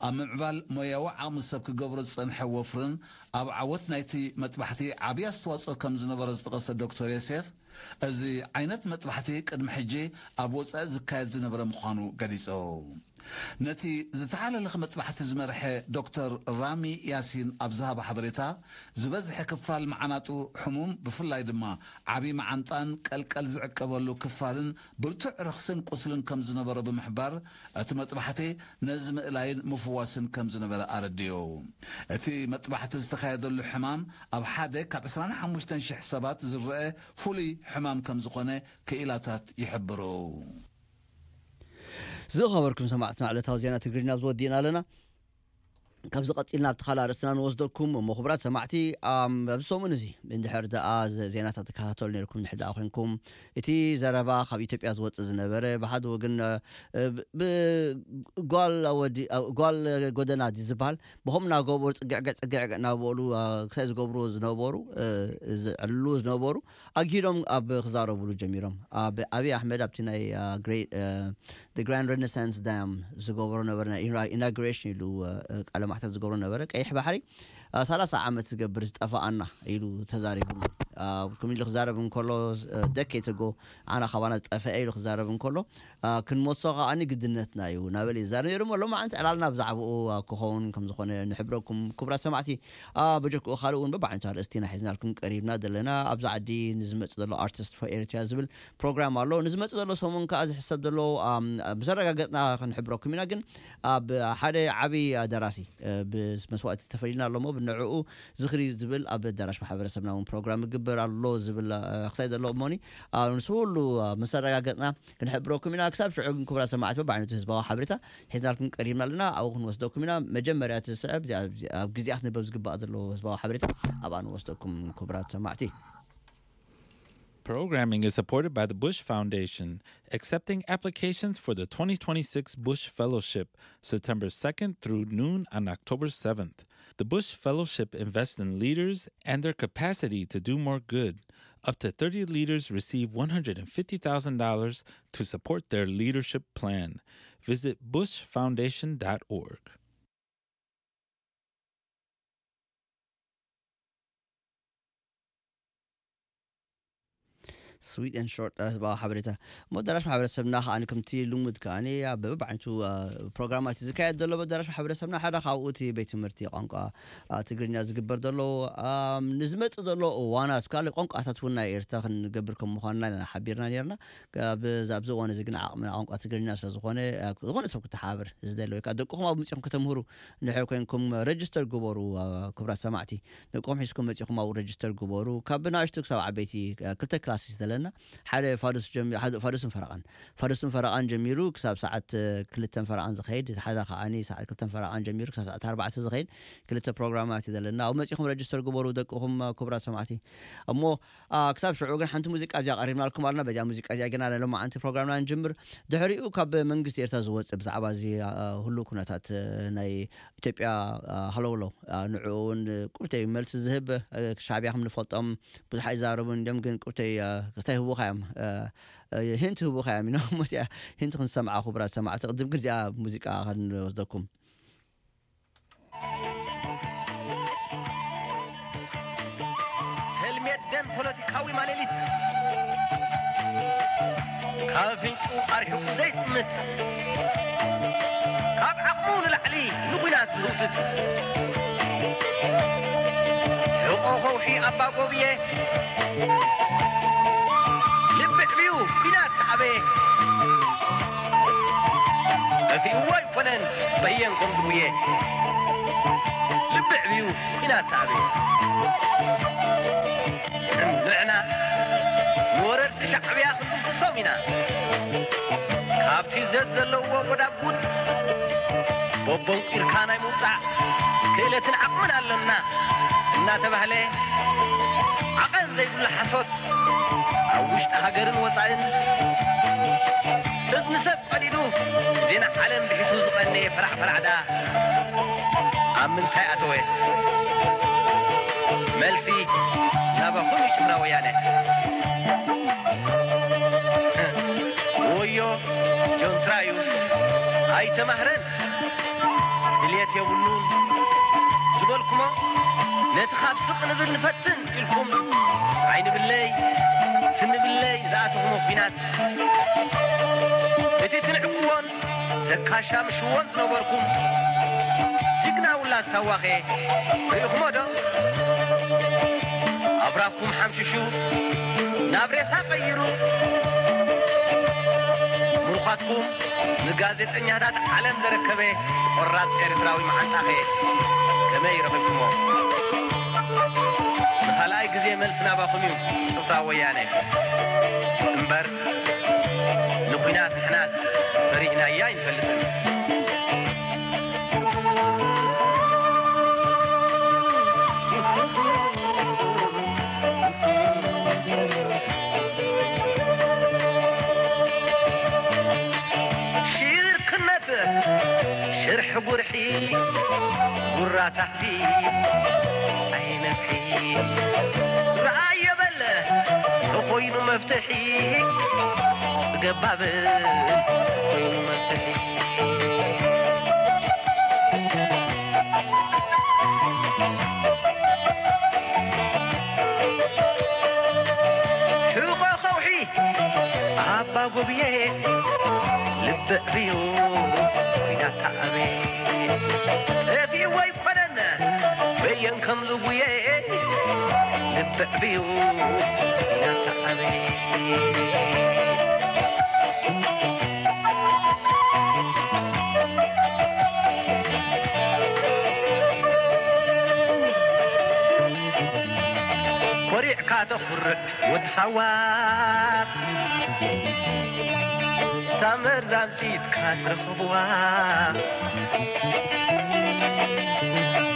ኣብ ምምዕባል ሞያዊ ዓቕሚ ሰብ ክገብሮ ዝጸንሐ ወፍርን ኣብ ዓወት ናይቲ መጥባሕቲ ዓብዪ ኣስተዋጽኦ ከም ዝነበሮ ዝጠቐሰ ዶክተር ዮሴፍ፣ እዚ ዓይነት መጥባሕቲ ቅድሚ ሕጂ ኣብ ወጻኢ ዝካየድ ዝነበረ ምዃኑ ገሊጹ። ነቲ ዝተሓላለኸ መጥባሕቲ ዝመርሐ ዶክተር ራሚ ያሲን ኣብ ዝሃቦ ሓበሬታ፣ ዝበዝሐ ክፋል መዓናጡ ሕሙም፣ ብፍላይ ድማ ዓቢ መዓንጣን ቀልቀል ዝዕቀበሉ ክፋልን ብርቱዕ ረኽስን ቁስልን ከም ዝነበሮ ብምሕባር፣ እቲ መጥባሕቲ ነዚ ምእላይን ምፍዋስን ከም ዝነበረ ኣረዲኡ። እቲ መጥባሕቲ ዝተኻየደሉ ሕማም ኣብ ሓደ ካብ ዕስራን ሓሙሽተን ሽሕ ሰባት ዝረአ ፍሉይ ሕማም ከም ዝኾነ ክኢላታት ይሕብሩ። ዝኸበርኩም ሰማዕትና፣ ዕለታዊ ዜና ትግርኛ ኣብዚ ወዲእና ኣለና። ካብዚ ቀጺልና ኣብቲ ካልእ ኣርእስትና ንወስደኩም እሞ፣ ክቡራት ሰማዕቲ፣ ኣም፣ ኣብዚ ሰሙን እዚ እንድሕር ደኣ ዘ-፣ ዜናታት ትከታተሉ ነይርኩም፣ እንድሕር ደኣ ኮንኩም፣ እቲ ዘረባ ካብ ኢትዮጵያ ዝወጽእ ዝነበረ፣ ብሓደ ወገን፣ እ፣ ብ-፣ ብ-፣ ጓል ወዲ-፣ እ፣ ጓል ጎደና ድዩ ዝበሃል? ብኸምኡ እናገበሩ ጽግዕግዕ ጽግዕግዕ እናበሉ፣ እ፣ ክሳይ ዝገብርዎ ዝነበሩ፣ እ፣ ዝዕልልዎ ዝነበሩ፣ ኣግሂዶም ኣብ ክዛረብሉ ጀሚሮም። ኣብ ኣብይ ኣሕመድ ኣብቲ ናይ፣ እ፣ ግሬ-፣ እ፣ The Grand Renaissance Dam ዝገብሮ ነበረ፣ ናይ ኢና-፣ ኢናጉሬሽን ኢሉ፣ እ፣ ቃለ ማሕተት ዝገብሮ ነበረ። ቀይሕ ባሕሪ፣ እ፣ ሰላሳ ዓመት ዝገብር ዝጠፋኣና ኢሉ ተዛሪቡሉ። እ፣ ከምኡ ኢሉ ክዛረብ እንከሎ፣ እ፣ ደኬት ኣጎ ኣና ካባና ዝጠፈአ ኢሉ ክዛረብ እንከሎ፣ እ፣ ክንመልሶ ከኣ ግድነትና እዩ እናበለ ይዛረብ ነይሩ እሞ፣ ሎማዓንቲ ዕላልና ብዛዕባኡ፣ እ፣ ክኸውን ከም ዝኾነ ንሕብረኩም ክቡራት ሰማዕቲ። እ፣ በጀክኡ ካልእ እውን በብዓይነቱ ኣርእስቲ ኢና ሒዝናልኩም ቀሪብና ዘለና። ኣብዚ ዓዲ ንዝመጽእ ዘሎ ኣርቲስት ፎር ኤሪትሪያ ዝብል ፕሮግራም ኣሎ። ንዝመጽእ ዘሎ ሰሙን ከኣ ዝሕሰብ ዘሎ፣ ኣም፣ ምስ ኣረጋገጽና ክንሕብረኩም ኢና። ግን ኣብ ሓደ ዓቢ ደራሲ፣ እ፣ ብመስዋእቲ ተፈሊና ኣሎ እሞ፣ ብንዕኡ ዝኽሪ ዝብል ኣብ ኣዳራሽ ማሕበረሰብና እውን ፕሮግራም ይግበር ኣሎ ዝብል፣ እ፣ ክሳይ ዘሎ እሞኒ፣ እ፣ ንሱ ሁሉ፣ እ፣ ምስ ኣረጋገጽና ክንሕብረኩም ኢና። ክሳብ ሽዑ ግን ክቡራት ሰማዕቲ፣ በብዓይነቱ ህዝባዊ ሓበሬታ ሒዝናልኩም ቀሪብና ኣለና። ኣብኡ ክንወስደኩም ኢና። መጀመርያ እቲ ስዕብ፣ ኣብ ግዜኣ ክንበብ ዝግባእ ዘሎ ህዝባዊ ሓበሬታ ኣብኣ ንወስደኩም ክቡራት ሰማዕቲ። Programming is supported by the Bush Foundation, accepting applications for the twenty twenty-six Bush Fellowship, September second through noon on October seventh. The Bush Fellowship invests in leaders and their capacity to do more good. Up to thirty leaders receive one hundred fifty thousand dollars to support their leadership plan. Visit bush foundation dot org. Sweet and short፣ ጽባሕ ሓበሬታ። እሞ ኣዳራሽ ማሕበረሰብና ከኣ ከምቲ ልሙድ ከኣ ኣብ በብዓይነቱ ፕሮግራማት ዝካየድ ዘሎ ኣዳራሽ ማሕበረሰብና ሓደ ካብኡ እቲ ቤት ትምህርቲ ቋንቋ ትግርኛ ዝግበር ዘሎ፣ ንዝመጽእ ዘሎ እዋናት ካልእ ቋንቋታት እውን ናይ ኤርትራ ክንገብር ከም ምዃንና ኢና ሓቢርና ነርና። ኣብዚ እዋን እዚ ግን ዓቕምና ቋንቋ ትግርኛ ስለ ዝኾነ፣ ዝኾነ ሰብ ክተሓባበር ዝደሊ ወይ ከዓ ደቅኹም ኣብ ምፅኹም ከተምህሩ እንድሕር ኮይንኩም፣ ረጅስተር ግበሩ። ክቡራት ሰማዕቲ፣ ደቅኹም ሒዝኩም መፂኹም ኣብኡ ረጅስተር ግበሩ። ካብ ብናእሽቱ ክሳብ ዓበይቲ ክልተ ክላስ እዩ ዘለና። ሓደ ፋዱስ ጀሚሩ፣ ሓደ ፋዱስን ፈረቓን፣ ፋዱስን ፈረቓን ጀሚሩ ክሳብ ሰዓት ክልተን ፈረቓን ዝኸይድ፣ ሓደ ከዓኒ ሰዓት ክልተን ፈረቓን ጀሚሩ ክሳብ ሰዓት ኣርባዕተ ዝኸይድ ክልተ ፕሮግራማት እዩ ዘለና። ኣብኡ መፂኹም ረጅስተር ግበሩ ደቅኹም፣ ክቡራት ሰማዕቲ። እሞ ክሳብ ሽዑ ግን ሓንቲ ሙዚቃ እዚኣ ቀሪብናልኩም ኣለና። በዚኣ ሙዚቃ እዚኣ ግና ናይ ሎማዓንቲ ፕሮግራምና ንጅምር። ድሕሪኡ ካብ መንግስቲ ኤርትራ ዝወፅእ ብዛዕባ እዚ ህሉው ኩነታት ናይ ኢትዮጵያ ሃለውለው፣ ንዕኡ እውን ቁብተይ መልሲ ዝህብ፣ ሻዕብያ ከም ንፈልጦም ብዙሕ ኣይዛረቡን እዮም፣ ግን ቁብተይ ክስታይ ህቡኻ እዮም፣ ሂንት ህቡኻ እዮም ኢና። እሞ እዚኣ ሂንት ክንሰምዓ ክቡራት ሰማዕቲ፣ ቅድም ግን እዚኣ ሙዚቃ ክንወስደኩም። ተልሜት ደም ፖለቲካዊ ማሌሊት፣ ካብ ኣፍንጭኡ ኣርሒቑ ዘይጥምት፣ ካብ ዓቕሙ ንላዕሊ ንኲናት ዝህውትት፣ ሕቖ ከውሒ ኣባ ጎብየ፣ ልቢ ዕብዩ ኲናት ኣበየ። ጠፊእዎ ኣይኮነን በየን ከም ዝጉየ፣ ልቢ ዕብዩ ኲናት ኣበየ። ንሕና ንወረርቲ ሻዕብያ ክንድምስሶም ኢና። ካብቲ ዘዘለዎ ጎዳጉድ ቦቦንቂርካ ናይ ምውጻእ ክእለትን ዓቕምን ኣለና እናተባህለ፣ ዓቐን ዘይብሉ ሓሶት ኣብ ውሽጢ ሃገርን ወጻእን እዝኒ ሰብ ቀዲዱ ዜና ዓለም ብሒቱ ዝቐነየ ፈራዕ ፈራዕ ደኣ ኣብ ምንታይ ኣተወ? መልሲ ናባኹም እዩ ጭፍራ ወያነ። ወዮ ጆንትራ እዩ ኣይተማህረን። ድልየት የብሉን ዝበልኩሞ ነቲ ካብ ስቕ ንብል ንፈትን ኢልኩም ዓይኒ ብለይ ስኒ ብለይ ዝኣተኹሞ ኲናት እቲ ትንዕቅዎን ተካሻምሽዎን ዝነበርኩም ጅግና ውላድ ሳዋኸ ርኢኹሞ ዶ? ኣብራኩም ሓምሽሹ ናብ ሬሳ ቀይሩ ምሩኻትኩም ንጋዜጠኛታት ዓለም ዘረከበ ቆራጽ ኤርትራዊ መዓንጣኸ ከመይ ረኺብኩሞ? ንኻልኣይ ግዜ መልሲ ናባኹም እዩ ጭፍራ ወያነ። እምበር ንኲናት ንሕናስ ፈሪህናያ ኣይንፈልጥን። ሽርክነት ሽርሒ ጉርሒ ጉራ ታሕቲ ኣይነፍሒ። ረኣየ በል ተኾይኑ መፍትሒ፣ ገባብ ኮይኑ መፍትሒ። ሕቖ ከውሒ ኣባ ጎብየ ልቢ ዕብዩ ኲናት ኣበየ። ጠፊኡ ኣይኮነን በየን ከም ዝጉየ ልቢ ዕብዩ ኲናት ኣበየ። ኮሪዕካ ተኹርዕ ወዲ ሳዋ፣ እታ መርዛም ጥይትካ ስረኽብዋ፣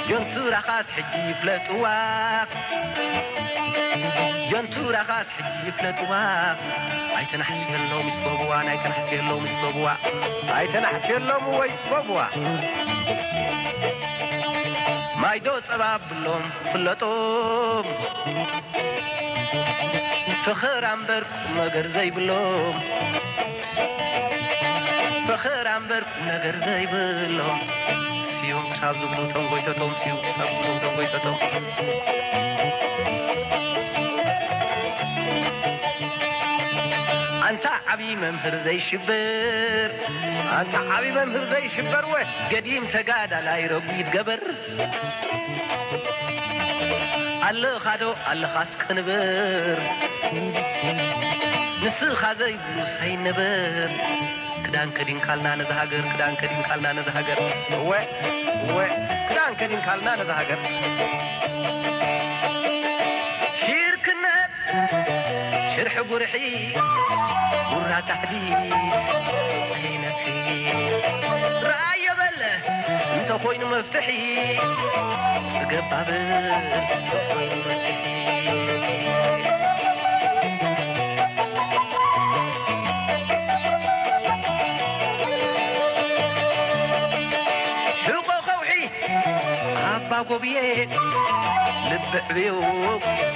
ጆንቱራኻስ ሕጂ ይፍለጥዋ። ጀንቱራኻስ ሕጂ ይፍለጥዋ። ኣይተናሕስየሎም ይስበብዋ፣ ኣይተናሕስየሎም ይስበብዋ፣ ኣይተናሕስየሎም ወይ ይስበብዋ። ማይዶ ጸባ ብሎም ፍለጦም፣ ፍኽር ኣምበር ቁም ነገር ዘይብሎም፣ ፍኽር ኣምበር ቁም ነገር ዘይብሎም። ስዮም ክሳብ ዝብሉ ተንጎይተቶም፣ ስዮም ክሳብ ዝብሉ ተንጎይተቶም። ኣንታ ዓብዪ መምህር ዘይሽበር፣ ኣንታ ዓብዪ መምህር ዘይሽበር፣ ወ ገዲም ተጋዳላይ ረጒድ ገበር። ኣለኻዶ ኣለኻስ ቅንብር፣ ንስኻ ዘይብሉስ ኣይንበር። ክዳን ከዲንካልና ነዛ ሃገር፣ ክዳን ከዲንካልና ነዛ ሃገር። እወ፣ እወ፣ ክዳን ከዲንካልና ነዛ ሃገር። ሽርክነት ሽርሒ ጉርሒ፣ ጉራ ታሕዲስ ኣይነፍሒ። ረኣዮ በለ እንተ ኾይኑ መፍትሒ፣ ጽገብ ባብል እንተ ኾይኑ መፍትሒ። ሕቆ ከውሒ ኣባ ጎብየ፣ ልቢ ዕብዩ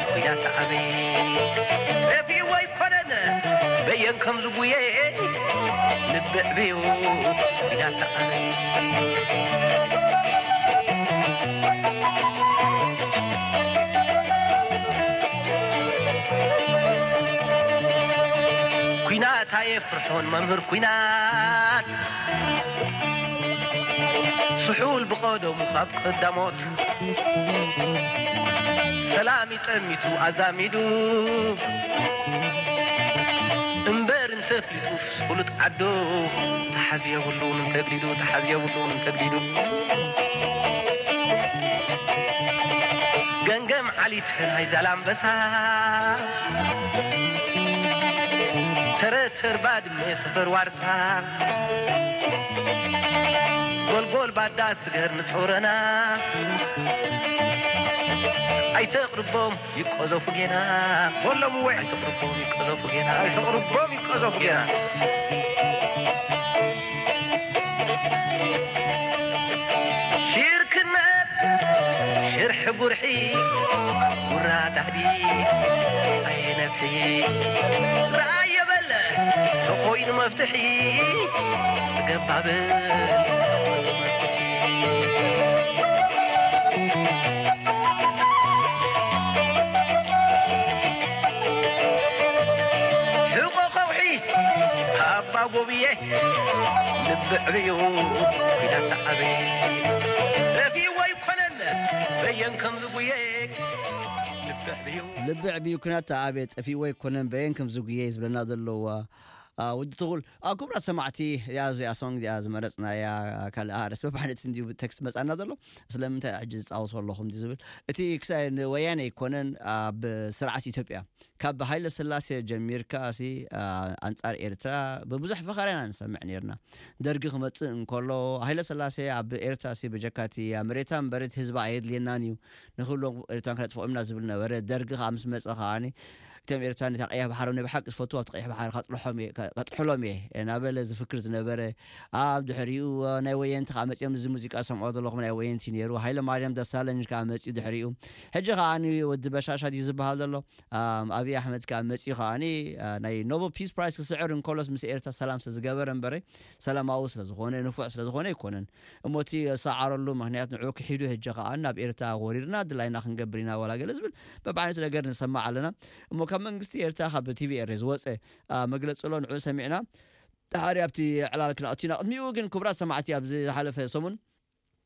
ኩያ ተዓበየ። ጠፊኡ ኣይኮነን በየን ከም ዝጉየ፣ ልቢ ዕብዩ ኩያ ተዓበየ። ኩናት ኣየፍርሖን መምህር ኩናት፣ ስሑል ብቐደሙ ካብ ቀዳሞት፣ ሰላም ይጠሚቱ ኣዛሚዱ፣ እምበር እንተፍሊጡ ፍሉጥ ዓዱ፣ ተሓዝ የብሉን እንተግዲዱ፣ ተሓዝ የብሉን እንተግዲዱ። ገምገም ዓሊት ናይ ዛላምበሳ፣ ተረተር ባድመ ሰፈር ዋርሳ፣ ጎልጎል ባዳ ስገር ንጾረና፣ ኣይተቕርቦም ይቆዘፉ ጌና። በሎም እወ። ኣይተቕርቦም ይቆዘፉ ጌና። ኣይተቕርቦም ይቆዘፉ ጌና። ሽርክነት ሽርሒ ጉርሒ፣ ጉራ ታሕዲስ ኣይነፍሒ። ረኣየ በለ ተኾይኑ መፍትሒ፣ ጽገብ ባብል ሕቆ ከውሒ ኣባ ጎብየ፣ ልቢ ዕብዩ ኩናት ተዓበየ። ጠፊኡ ኣይኮነን በየን ከም ዝጉየ፣ ልቢ ዕብዩ። ልቢ ዕብዩ ኩናት ተዓበየ፣ ጠፊኡ ኣይኮነን በየን ከም ዝጉየ ዝብለና ዘለዋ። አ፣ ወዲ ትኹል፣ አ፣ ክቡራት ሰማዕቲ፣ እዚኣ፣ እዚኣ ሶንግ እዚኣ ዝመረጽናያ ካልእ ኣርእስቲ በብዓይነቱ እንድዩ ብቴክስት መጻና ዘሎ። ስለምንታይ ሕጂ ዝጻወቶ ኣለኹም እንድዩ ዝብል። እቲ ክሳይ ንወያነ ኣይኮነን፣ ኣብ ስርዓት ኢትዮጵያ፣ ካብ ሃይለ ስላሴ ጀሚርካ ሲ፣ አ፣ ኣንጻር ኤርትራ ብብዙሕ ፈኸራ ኢና ንሰምዕ ነይርና። ደርጊ ክመጽእ እንከሎ፣ ሃይለ ስላሴ ኣብ ኤርትራ ሲ ብጀካቲ ኣብ መሬታ እምበር እቲ ህዝባ ኣየድልየናን እዩ፣ ንኽብሎ ኤርትራን ከነጥፍኦም ኢና ዝብል ነበረ። ደርጊ ከኣ ምስ መጸ ከኣኒ፣ እቶም ኤርትራን ነታ ቀይሕ ባሕሪ ናይ ብሓቂ ዝፈትዋ ኣብቲ ቀይሕ ባሕሪ ከጥልሖም እየ፣ ከ-፣ ከጥሕሎም እየ እናበለ ዝፍክር ዝነበረ፣ ኣብ ድሕሪኡ ናይ ወየንቲ ከኣ መጺኦም፣ እዚ ሙዚቃ ዝሰምዖ ዘለኹም ናይ ወየንቲ ነይሩ። ሃይለ ማርያም ደሳለኝ ከኣ መጺኡ ድሕሪኡ። ሕጂ ከኣ ወዲ በሻሻ ድዩ ዝበሃል ዘሎ? ኣም፣ ኣብይ ኣሕመድ ከኣ መጺኡ ከኣ፣ አ፣ ናይ ኖበል ፒስ ፕራይስ ክስዕር እንከሎስ ምስ ኤርትራ ሰላም ስለ ዝገበረ እምበረ፣ ሰላማዊ ስለ ዝኾነ፣ ንፉዕ ስለ ዝኾነ ኣይኮነን። እሞ እቲ ዝሰዓረሉ ምኽንያት ንዕኡ ክሒዱ፣ ሕጂ ከኣ ናብ ኤርትራ ወሪርና ድላይና ክንገብር ኢና ዋላ ገለ ዝብል በብዓይነቱ ነገር ንሰማዕ ኣለና። እሞ ካብ መንግስቲ ኤርትራ ካብ ቲቪ ኤረ ዝወጸ፣ አ፣ መግለጺ ኣሎ፣ ንዕኡ ሰሚዕና። ድሓር ኣብቲ ዕላል ክንኣቱ ኢና። ቅድሚኡ ግን ክቡራት ሰማዕቲ ኣብዚ ዝሓለፈ ሰሙን፣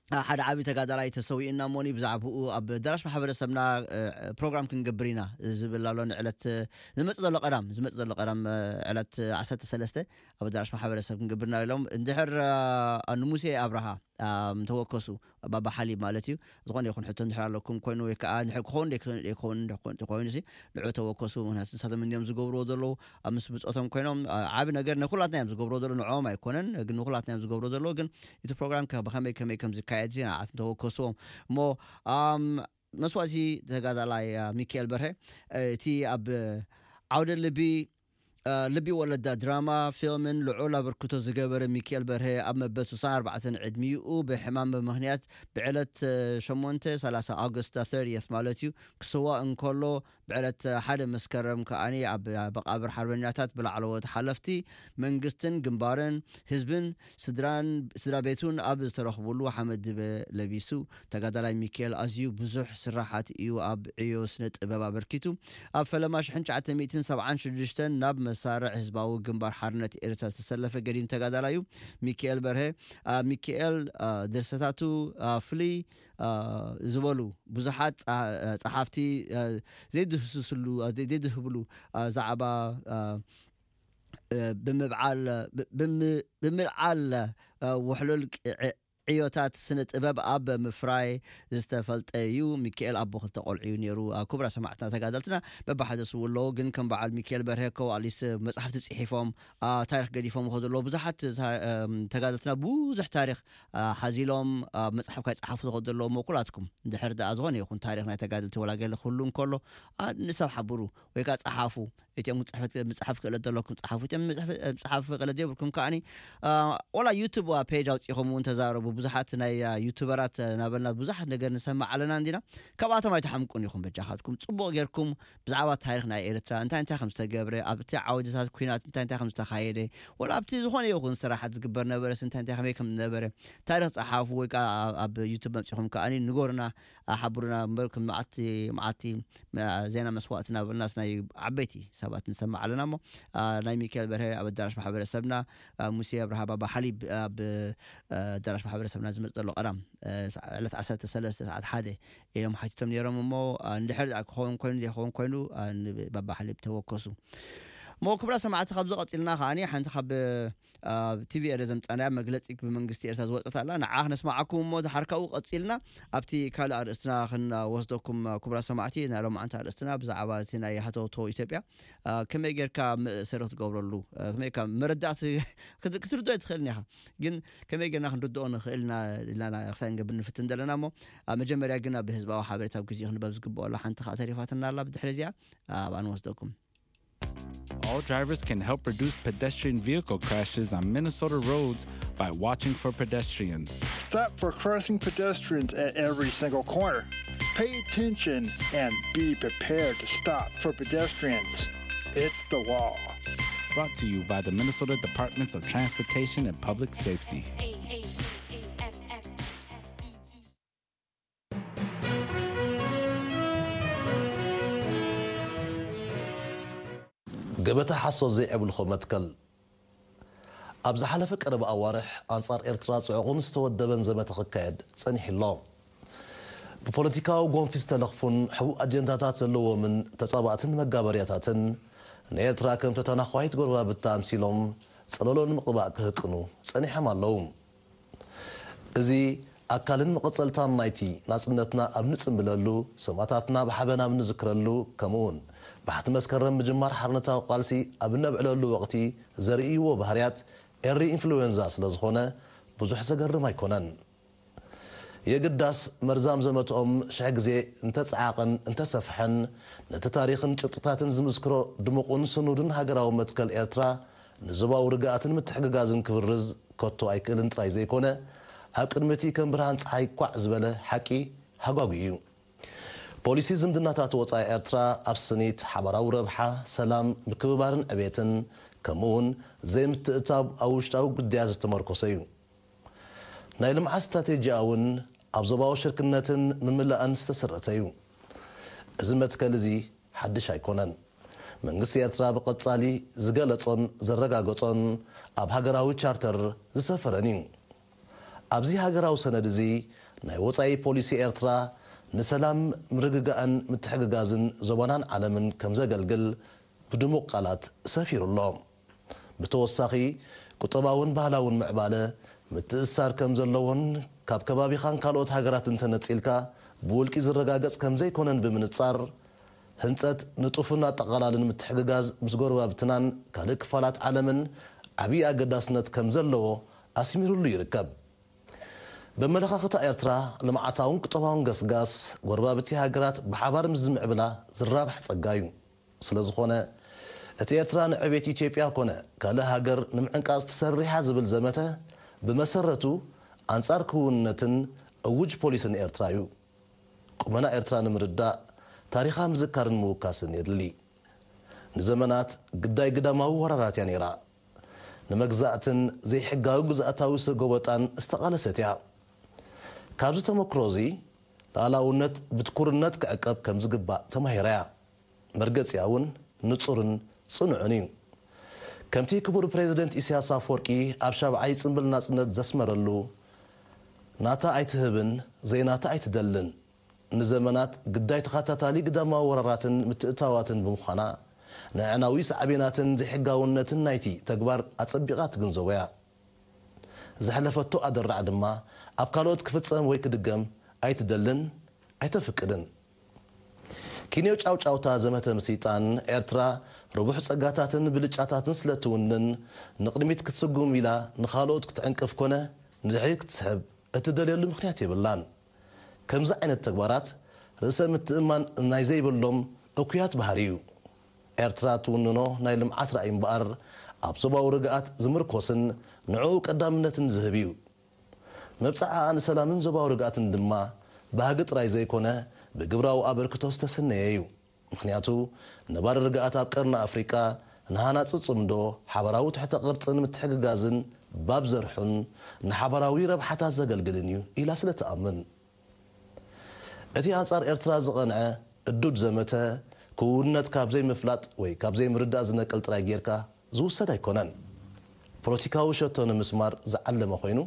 አ፣ ሓደ ዓቢ ተጋዳላይ ተሰዊኡና እሞኒ ብዛዕባኡ ኣብ ኣዳራሽ ማሕበረሰብና፣ እ፣ ፕሮግራም ክንገብር ኢና ዝብል ኣሎ። ንዕለት፣ እ፣ ዝመጽእ ዘሎ ቀዳም፣ ዝመጽእ ዘሎ ቀዳም፣ እ፣ ዕለት ዓሰርተ ሰለስተ ኣብ ኣዳራሽ ማሕበረሰብ ክንገብር ኢና ኢሎም። እንድሕር፣ አ፣ ንሙሴ ኣብርሃ፣ አ፣ ተወከሱ፣ ባባ ሓሊብ ማለት እዩ። ዝኾነ ይኹን ሕቶ እንድሕር ኣለኩም ኮይኑ ወይ ከኣ እንድሕር ክኸውን ደይክ-፣ ደይክኸውን እንድሕር ኮይኑ ሲ፣ ንዕኡ ተወከሱ። ምኽንያቱ ንሳቶም እንድዮም ዝገብርዎ ዘለዉ፣ ኣብ ምስ ብጾቶም ኮይኖም፣ አ፣ ዓቢ ነገር ንኹላትና እዮም ዝገብርዎ ዘለዉ፣ ንዕኦም ኣይኮነን፣ ግን ንኹላትና እዮም ዝገብርዎ ዘለዉ። ግን እቲ ፕሮግራም ከ ብኸመይ ከመይ ከም ዝካየድ ሲ ንዓኹም ተወከስዎም። እሞ፣ ኣም፣ መስዋእቲ ተጋዳላይ ሚካኤል በርሀ እቲ ኣብ ዓውደ ልቢ ልቢ ወለዳ ድራማ ፊልምን ልዑል ኣበርክቶ ዝገበረ ሚካኤል በርሀ ኣብ መበል ስሳን ኣርባዕተን ዕድሚኡ ብሕማም ብምኽንያት ብዕለት ሸሞንተ ሰላሳ ኣውግስት ተርቲየት ማለት እዩ ክስዋ እንከሎ ብዕለት ሓደ መስከረም ከኣኒ ኣብ መቃብር ሓርበኛታት ብላዕለዎት ሓለፍቲ መንግስትን ግንባርን ህዝብን ስድራን ስድራ ቤቱን ኣብ ዝተረኽብሉ ሓመድ ድበ ለቢሱ ተጋዳላይ ሚካኤል ኣዝዩ ብዙሕ ስራሓት እዩ ኣብ ዕዮ ስነ ጥበብ ኣበርኪቱ። ኣብ ፈለማ ሽሕን ትሽዓተ ሚእትን ሰብዓን ሽዱሽተን ናብ መሳርዕ ህዝባዊ ግንባር ሓርነት ኤርትራ ዝተሰለፈ ገዲም ተጋዳላይ እዩ። ሚካኤል በርሀ ኣብ ሚካኤል ድርሰታቱ ፍልይ ዝበሉ ብዙሓት ጸሓፍቲ ዘይድህስስሉ ዘይድህብሉ ዛዕባ ብምብዓል ብምልዓል ውሕሉል ዕዮታት ስነ ጥበብ ኣብ ምፍራይ ዝተፈልጠ እዩ። ሚካኤል ኣቦ ክልተ ቆልዑ እዩ ነይሩ። ክቡራ ሰማዕትና ተጋደልትና በብሓደ ስው ኣለዉ፣ ግን ከም በዓል ሚካኤል በርሀ ከዋሊስ መፅሓፍቲ ፅሒፎም ታሪክ ገዲፎም ይኸዱ ኣለዉ። ብዙሓት ተጋደልትና ብዙሕ ታሪክ ሓዚሎም መፅሓፍ ካይፀሓፉ ዝኸዱ ኣለዉ። እሞ ኩላትኩም ድሕር ደኣ ዝኾነ ይኹን ታሪክ ናይ ተጋደልቲ ወላ ገለ ክህሉ እንከሎ ንሰብ ሓብሩ ወይ ከዓ ፀሓፉ። እቲኦም ጽሕፈት ምጽሓፍ ክእለት ዘለኩም ጽሓፉ፣ እቲኦም ምጽሓፍ ክእለት ዘይብልኩም ከዓኒ ወላ ዩቱብ ፔጅ ኣውጺኹም እውን ተዛረቡ። ብዙሓት ናይ ዩቱበራት ናበልና ብዙሓት ነገር ንሰማዕ ኣለና እንዲና። ካብኣቶም ኣይትሓምቁን ኢኹም። በጃኻትኩም ጽቡቕ ጌርኩም ብዛዕባ ታሪኽ ናይ ኤርትራ እንታይ እንታይ ከም ዝተገብረ ኣብቲ ዓውድታት ኩናት እንታይ እንታይ ከም ዝተኻየደ ወላ ኣብቲ ዝኾነ ይኹን ስራሓት ዝግበር ነበረስ እንታይ እንታይ ከመይ ከም ዝነበረ ታሪኽ ጸሓፉ ወይ ከዓ ኣብ ዩቱብ መጺኹም ከዓኒ ንገሩና። ሓብሩና እምበር ከም መዓልቲ መዓልቲ ዜና መስዋእቲ እናበልናስ ናይ ዓበይቲ ሰባት ንሰምዕ ኣለና እሞ ናይ ሚካኤል በርሀ ኣብ ኣዳራሽ ማሕበረሰብና ሙሴ ኣብርሃ ባባ ሓሊብ ኣብ ኣዳራሽ ማሕበረሰብና ዝመፅ ዘሎ ቀዳም ዕለት ዓሰርተ ሰለስተ ሰዓት ሓደ ኢሎም ሓቲቶም ነይሮም እሞ እንድሕር ክኸውን ኮይኑ ዘይኸውን ኮይኑ ባባ ሓሊብ ተወከሱ እሞ ክብራ ሰማዕቲ ካብዚ ቀፂልና ከዓኒ ሓንቲ ካብ ኣብ ቲቪ ኤረ ዘምፃናያ መግለፂ ብመንግስቲ ኤርትራ ዝወፀት ኣላ ንዓ ክነስማዓኩም እሞ ድሓር ካብኡ ቀፂልና ኣብቲ ካልእ ኣርእስትና ክንወስደኩም ክቡራ ሰማዕቲ ናይ ሎማዓንቲ ኣርእስትና ብዛዕባ እቲ ናይ ሃተውተው ኢትዮጵያ ከመይ ጌርካ መእሰሪ ክትገብረሉ ከመይ ካ መረዳእቲ ክትርድኦ ትኽእል ኒኻ ግን ከመይ ጌርና ክንርድኦ ንኽእል ኢና ኢልና ክሳይ ንገብር ንፍትን ዘለና እሞ ኣብ መጀመርያ ግን ኣብ ህዝባዊ ሓበሬታ ኣብ ግዜኡ ክንበብ ዝግብኦ ኣሎ ሓንቲ ከዓ ተሪፋትና ኣላ ብድሕሪ እዚኣ ኣብኣ ንወስደኩም All drivers can help reduce pedestrian vehicle crashes on Minnesota roads by watching for pedestrians. Stop for crossing pedestrians at every single corner. Pay attention and be prepared to stop for pedestrians. It's the law. Brought to you by the Minnesota Departments of Transportation and Public Safety. ገበታ ሓሶት ዘይዕብልኾ መትከል ኣብ ዝሓለፈ ቀረባ ኣዋርሕ ኣንጻር ኤርትራ ጽዑቕን ዝተወደበን ዘመተ ክካየድ ጸኒሑ ኣሎ። ብፖለቲካዊ ጎንፊ ዝተለኽፉን ሕቡእ ኣጀንዳታት ዘለዎምን ተጻባእትን መጋበርያታትን ንኤርትራ ከም ተተናዃሂት ጎረባብታ ኣምሲሎም ጸለሎ ንምቕባእ ክህቅኑ ጸኒሖም ኣለዉ። እዚ ኣካልን መቐጸልታን ናይቲ ናጽነትና ኣብ ንጽምብለሉ፣ ሰማእታትና ብሓበን ኣብ ንዝክረሉ፣ ከምኡውን ባሕቲ መስከረም ምጅማር ሓርነታዊ ቃልሲ ኣብ እነብዕለሉ ወቕቲ ዘርእይዎ ባህርያት ኤሪ ኢንፍሉዌንዛ ስለ ዝኾነ ብዙሕ ዘገርም ኣይኮነን። የግዳስ መርዛም ዘመትኦም ሽሕ ግዜ እንተጸዓቐን እንተሰፍሐን ነቲ ታሪኽን ጭብጥታትን ዝምስክሮ ድሙቕን ስኑድን ሃገራዊ መትከል ኤርትራ ንዞባዊ ርግኣትን ምትሕግጋዝን ክብርዝ ከቶ ኣይክእልን ጥራይ ዘይኮነ፣ ኣብ ቅድሚ እቲ ከም ብርሃን ጸሓይ ኳዕ ዝበለ ሓቂ ሃጓጉ እዩ። ፖሊሲ ዝምድናታት ወጻኢ ኤርትራ ኣብ ስኒት፣ ሓባራዊ ረብሓ፣ ሰላም፣ ምክብባርን ዕቤትን፣ ከምኡውን ዘይምትእትታው ኣብ ውሽጣዊ ግዳያት ዝተመርኮሰ እዩ። ናይ ልምዓት ስትራቴጂኣ እውን ኣብ ዞባዊ ሽርክነትን ምምላእን ዝተሰረተ እዩ። እዚ መትከል እዚ ሓድሽ ኣይኮነን። መንግስቲ ኤርትራ ብቐጻሊ ዝገለጾን ዘረጋገጾን ኣብ ሃገራዊ ቻርተር ዝሰፈረን እዩ። ኣብዚ ሃገራዊ ሰነድ እዚ ናይ ወጻኢ ፖሊሲ ኤርትራ ንሰላም፣ ምርግጋእን ምትሕግጋዝን ዞባናን ዓለምን ከም ዘገልግል ብድሙቕ ቃላት ሰፊሩ ኣሎ። ብተወሳኺ፣ ቁጠባውን ባህላውን ምዕባለ ምትእስሳር ከም ዘለዎን ካብ ከባቢኻን ካልኦት ሃገራትን ተነጺልካ ብውልቂ ዝረጋገጽ ከም ዘይኮነን ብምንጻር፣ ህንጸት ንጡፍን ኣጠቓላልን ምትሕግጋዝ ምስ ጎረባብትናን ካልእ ክፋላት ዓለምን ዓብዪ ኣገዳስነት ከም ዘለዎ ኣስሚሩሉ ይርከብ። በመለኻኽታ ኤርትራ፣ ልምዓታውን ቁጠባውን ገስጋስ ጎረባብቲ ሃገራት ብሓባር ምስ ዝምዕብላ ዝራባሕ ጸጋ እዩ። ስለ ዝኾነ፣ እቲ ኤርትራ ንዕቤት ኢትዮጵያ ኮነ ካልእ ሃገር ንምዕንቃጽ ተሰሪሓ ዝብል ዘመተ፣ ብመሰረቱ ኣንጻር ክውንነትን እውጅ ፖሊስን ኤርትራ እዩ። ቁመና ኤርትራ ንምርዳእ፣ ታሪኻ ምዝካርን ምውካስን የድሊ። ንዘመናት ግዳይ ግዳማዊ ወራራት እያ ነይራ። ንመግዛእትን ዘይሕጋዊ ግዝኣታዊ ሰጎበጣን ዝተቓለሰት እያ። ካብዚ ተመክሮ እዚ፣ ሉዓላውነት ብትኩርነት ክዕቀብ ከም ዝግባእ ተማሂራ እያ። መርገጺኣ እውን ንጹርን ጽኑዕን እዩ። ከምቲ ክቡር ፕሬዚደንት ኢሳያስ ኣፈወርቂ ኣብ ሻብዓይ ጽምብል ናጽነት ዘስመረሉ፣ ናታ ኣይትህብን፣ ዘይናታ ኣይትደልን። ንዘመናት ግዳይ ተኸታታሊ ግዳማዊ ወራራትን ምትእትታዋትን ብምዃና፣ ንኣዕናዊ ሳዕቤናትን ዘይሕጋውነትን ናይቲ ተግባር ኣጸቢቓ ትግንዘቦ እያ። ዘሕለፈቶ ኣደራዕ ድማ ኣብ ካልኦት ክፍጸም ወይ ክድገም ኣይትደልን፣ ኣይተፍቅድን። ኪንዮ ጫውጫውታ ዘመተ ምስይጣን ኤርትራ ርቡሕ ጸጋታትን ብልጫታትን ስለ ትውንን፣ ንቕድሚት ክትስጉም ኢላ ንኻልኦት ክትዕንቅፍ ኮነ ንድሕሪት ክትስሕብ እትደልየሉ ምኽንያት የብላን። ከምዚ ዓይነት ተግባራት ርእሰ ምትእማን ናይ ዘይብሎም እኩያት ባህሪ እዩ። ኤርትራ ትውንኖ ናይ ልምዓት ራእይ እምበኣር ኣብ ዞባዊ ርግኣት ዝምርኮስን ንዕኡ ቀዳምነትን ዝህብ እዩ። መብጽዓኣ ንሰላምን ዞባዊ ርግኣትን ድማ ባህጊ ጥራይ ዘይኮነ ብግብራዊ ኣበርክቶ ዝተሰነየ እዩ። ምኽንያቱ ነባሪ ርግኣት ኣብ ቀርኒ ኣፍሪቃ ንሃናጺ ጽምዶ፣ ሓባራዊ ትሕተ ቅርጽን ምትሕግጋዝን ባብ ዘርሑን ንሓባራዊ ረብሓታት ዘገልግልን እዩ ኢላ ስለ ትኣምን። እቲ ኣንጻር ኤርትራ ዝቐንዐ እዱድ ዘመተ፣ ክውንነት ካብ ዘይምፍላጥ ወይ ካብ ዘይምርዳእ ዝነቅል ጥራይ ጌርካ ዝውሰድ ኣይኮነን። ፖለቲካዊ ሸቶ ንምስማር ዝዓለመ ኮይኑ፣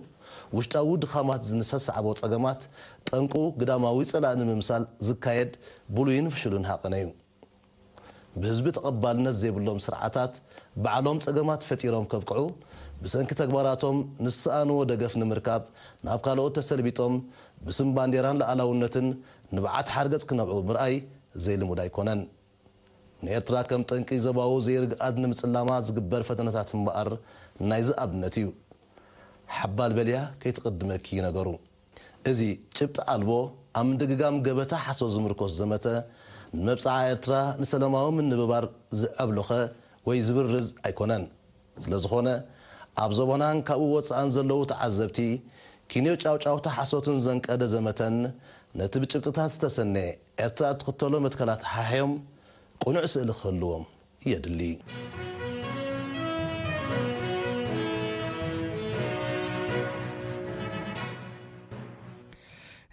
ውሽጣዊ ድኻማት ዝንሰሳዕቦ ጸገማት፣ ጠንቁ ግዳማዊ ጸላኢ ንምምሳል ዝካየድ ብሉይን ፍሹልን ሃቐነ እዩ። ብህዝቢ ተቐባልነት ዘይብሎም ስርዓታት ባዕሎም ጸገማት ፈጢሮም ከብቅዑ፣ ብሰንኪ ተግባራቶም ንዝሰኣንዎ ደገፍ ንምርካብ ናብ ካልኦት ተሰልቢጦም ብስም ባንዴራን ሉዓላውነትን ንብዓት ሓርገጽ ክነብዑ ምርኣይ ዘይልሙድ ኣይኮነን። ንኤርትራ ከም ጠንቂ ዞባዊ ዘይርግኣት ንምጽላማ ዝግበር ፈተነታት እምበኣር ናይዚ ኣብነት እዩ። ሓባል በልያ ከይትቕድመኪ ነገሩ። እዚ ጭብጢ ኣልቦ ኣብ ምድግጋም ገበታ ሓሶት ዝምርኮስ ዘመተ፣ ንመብጽዓ ኤርትራ ንሰላማዊ ምንብባር ዝዐብሎኸ ወይ ዝብርዝ ኣይኮነን። ስለ ዝኾነ፣ ኣብ ዞባናን ካብኡ ወጻእን ዘለዉ ተዓዘብቲ፣ ኪንዮ ጫውጫውታ ሓሶትን ዘንቀደ ዘመተን ነቲ ብጭብጥታት ዝተሰነየ ኤርትራ እትኽተሎ መትከላት ሓሕዮም ቅኑዕ ስእሊ ክህልዎም የድሊ።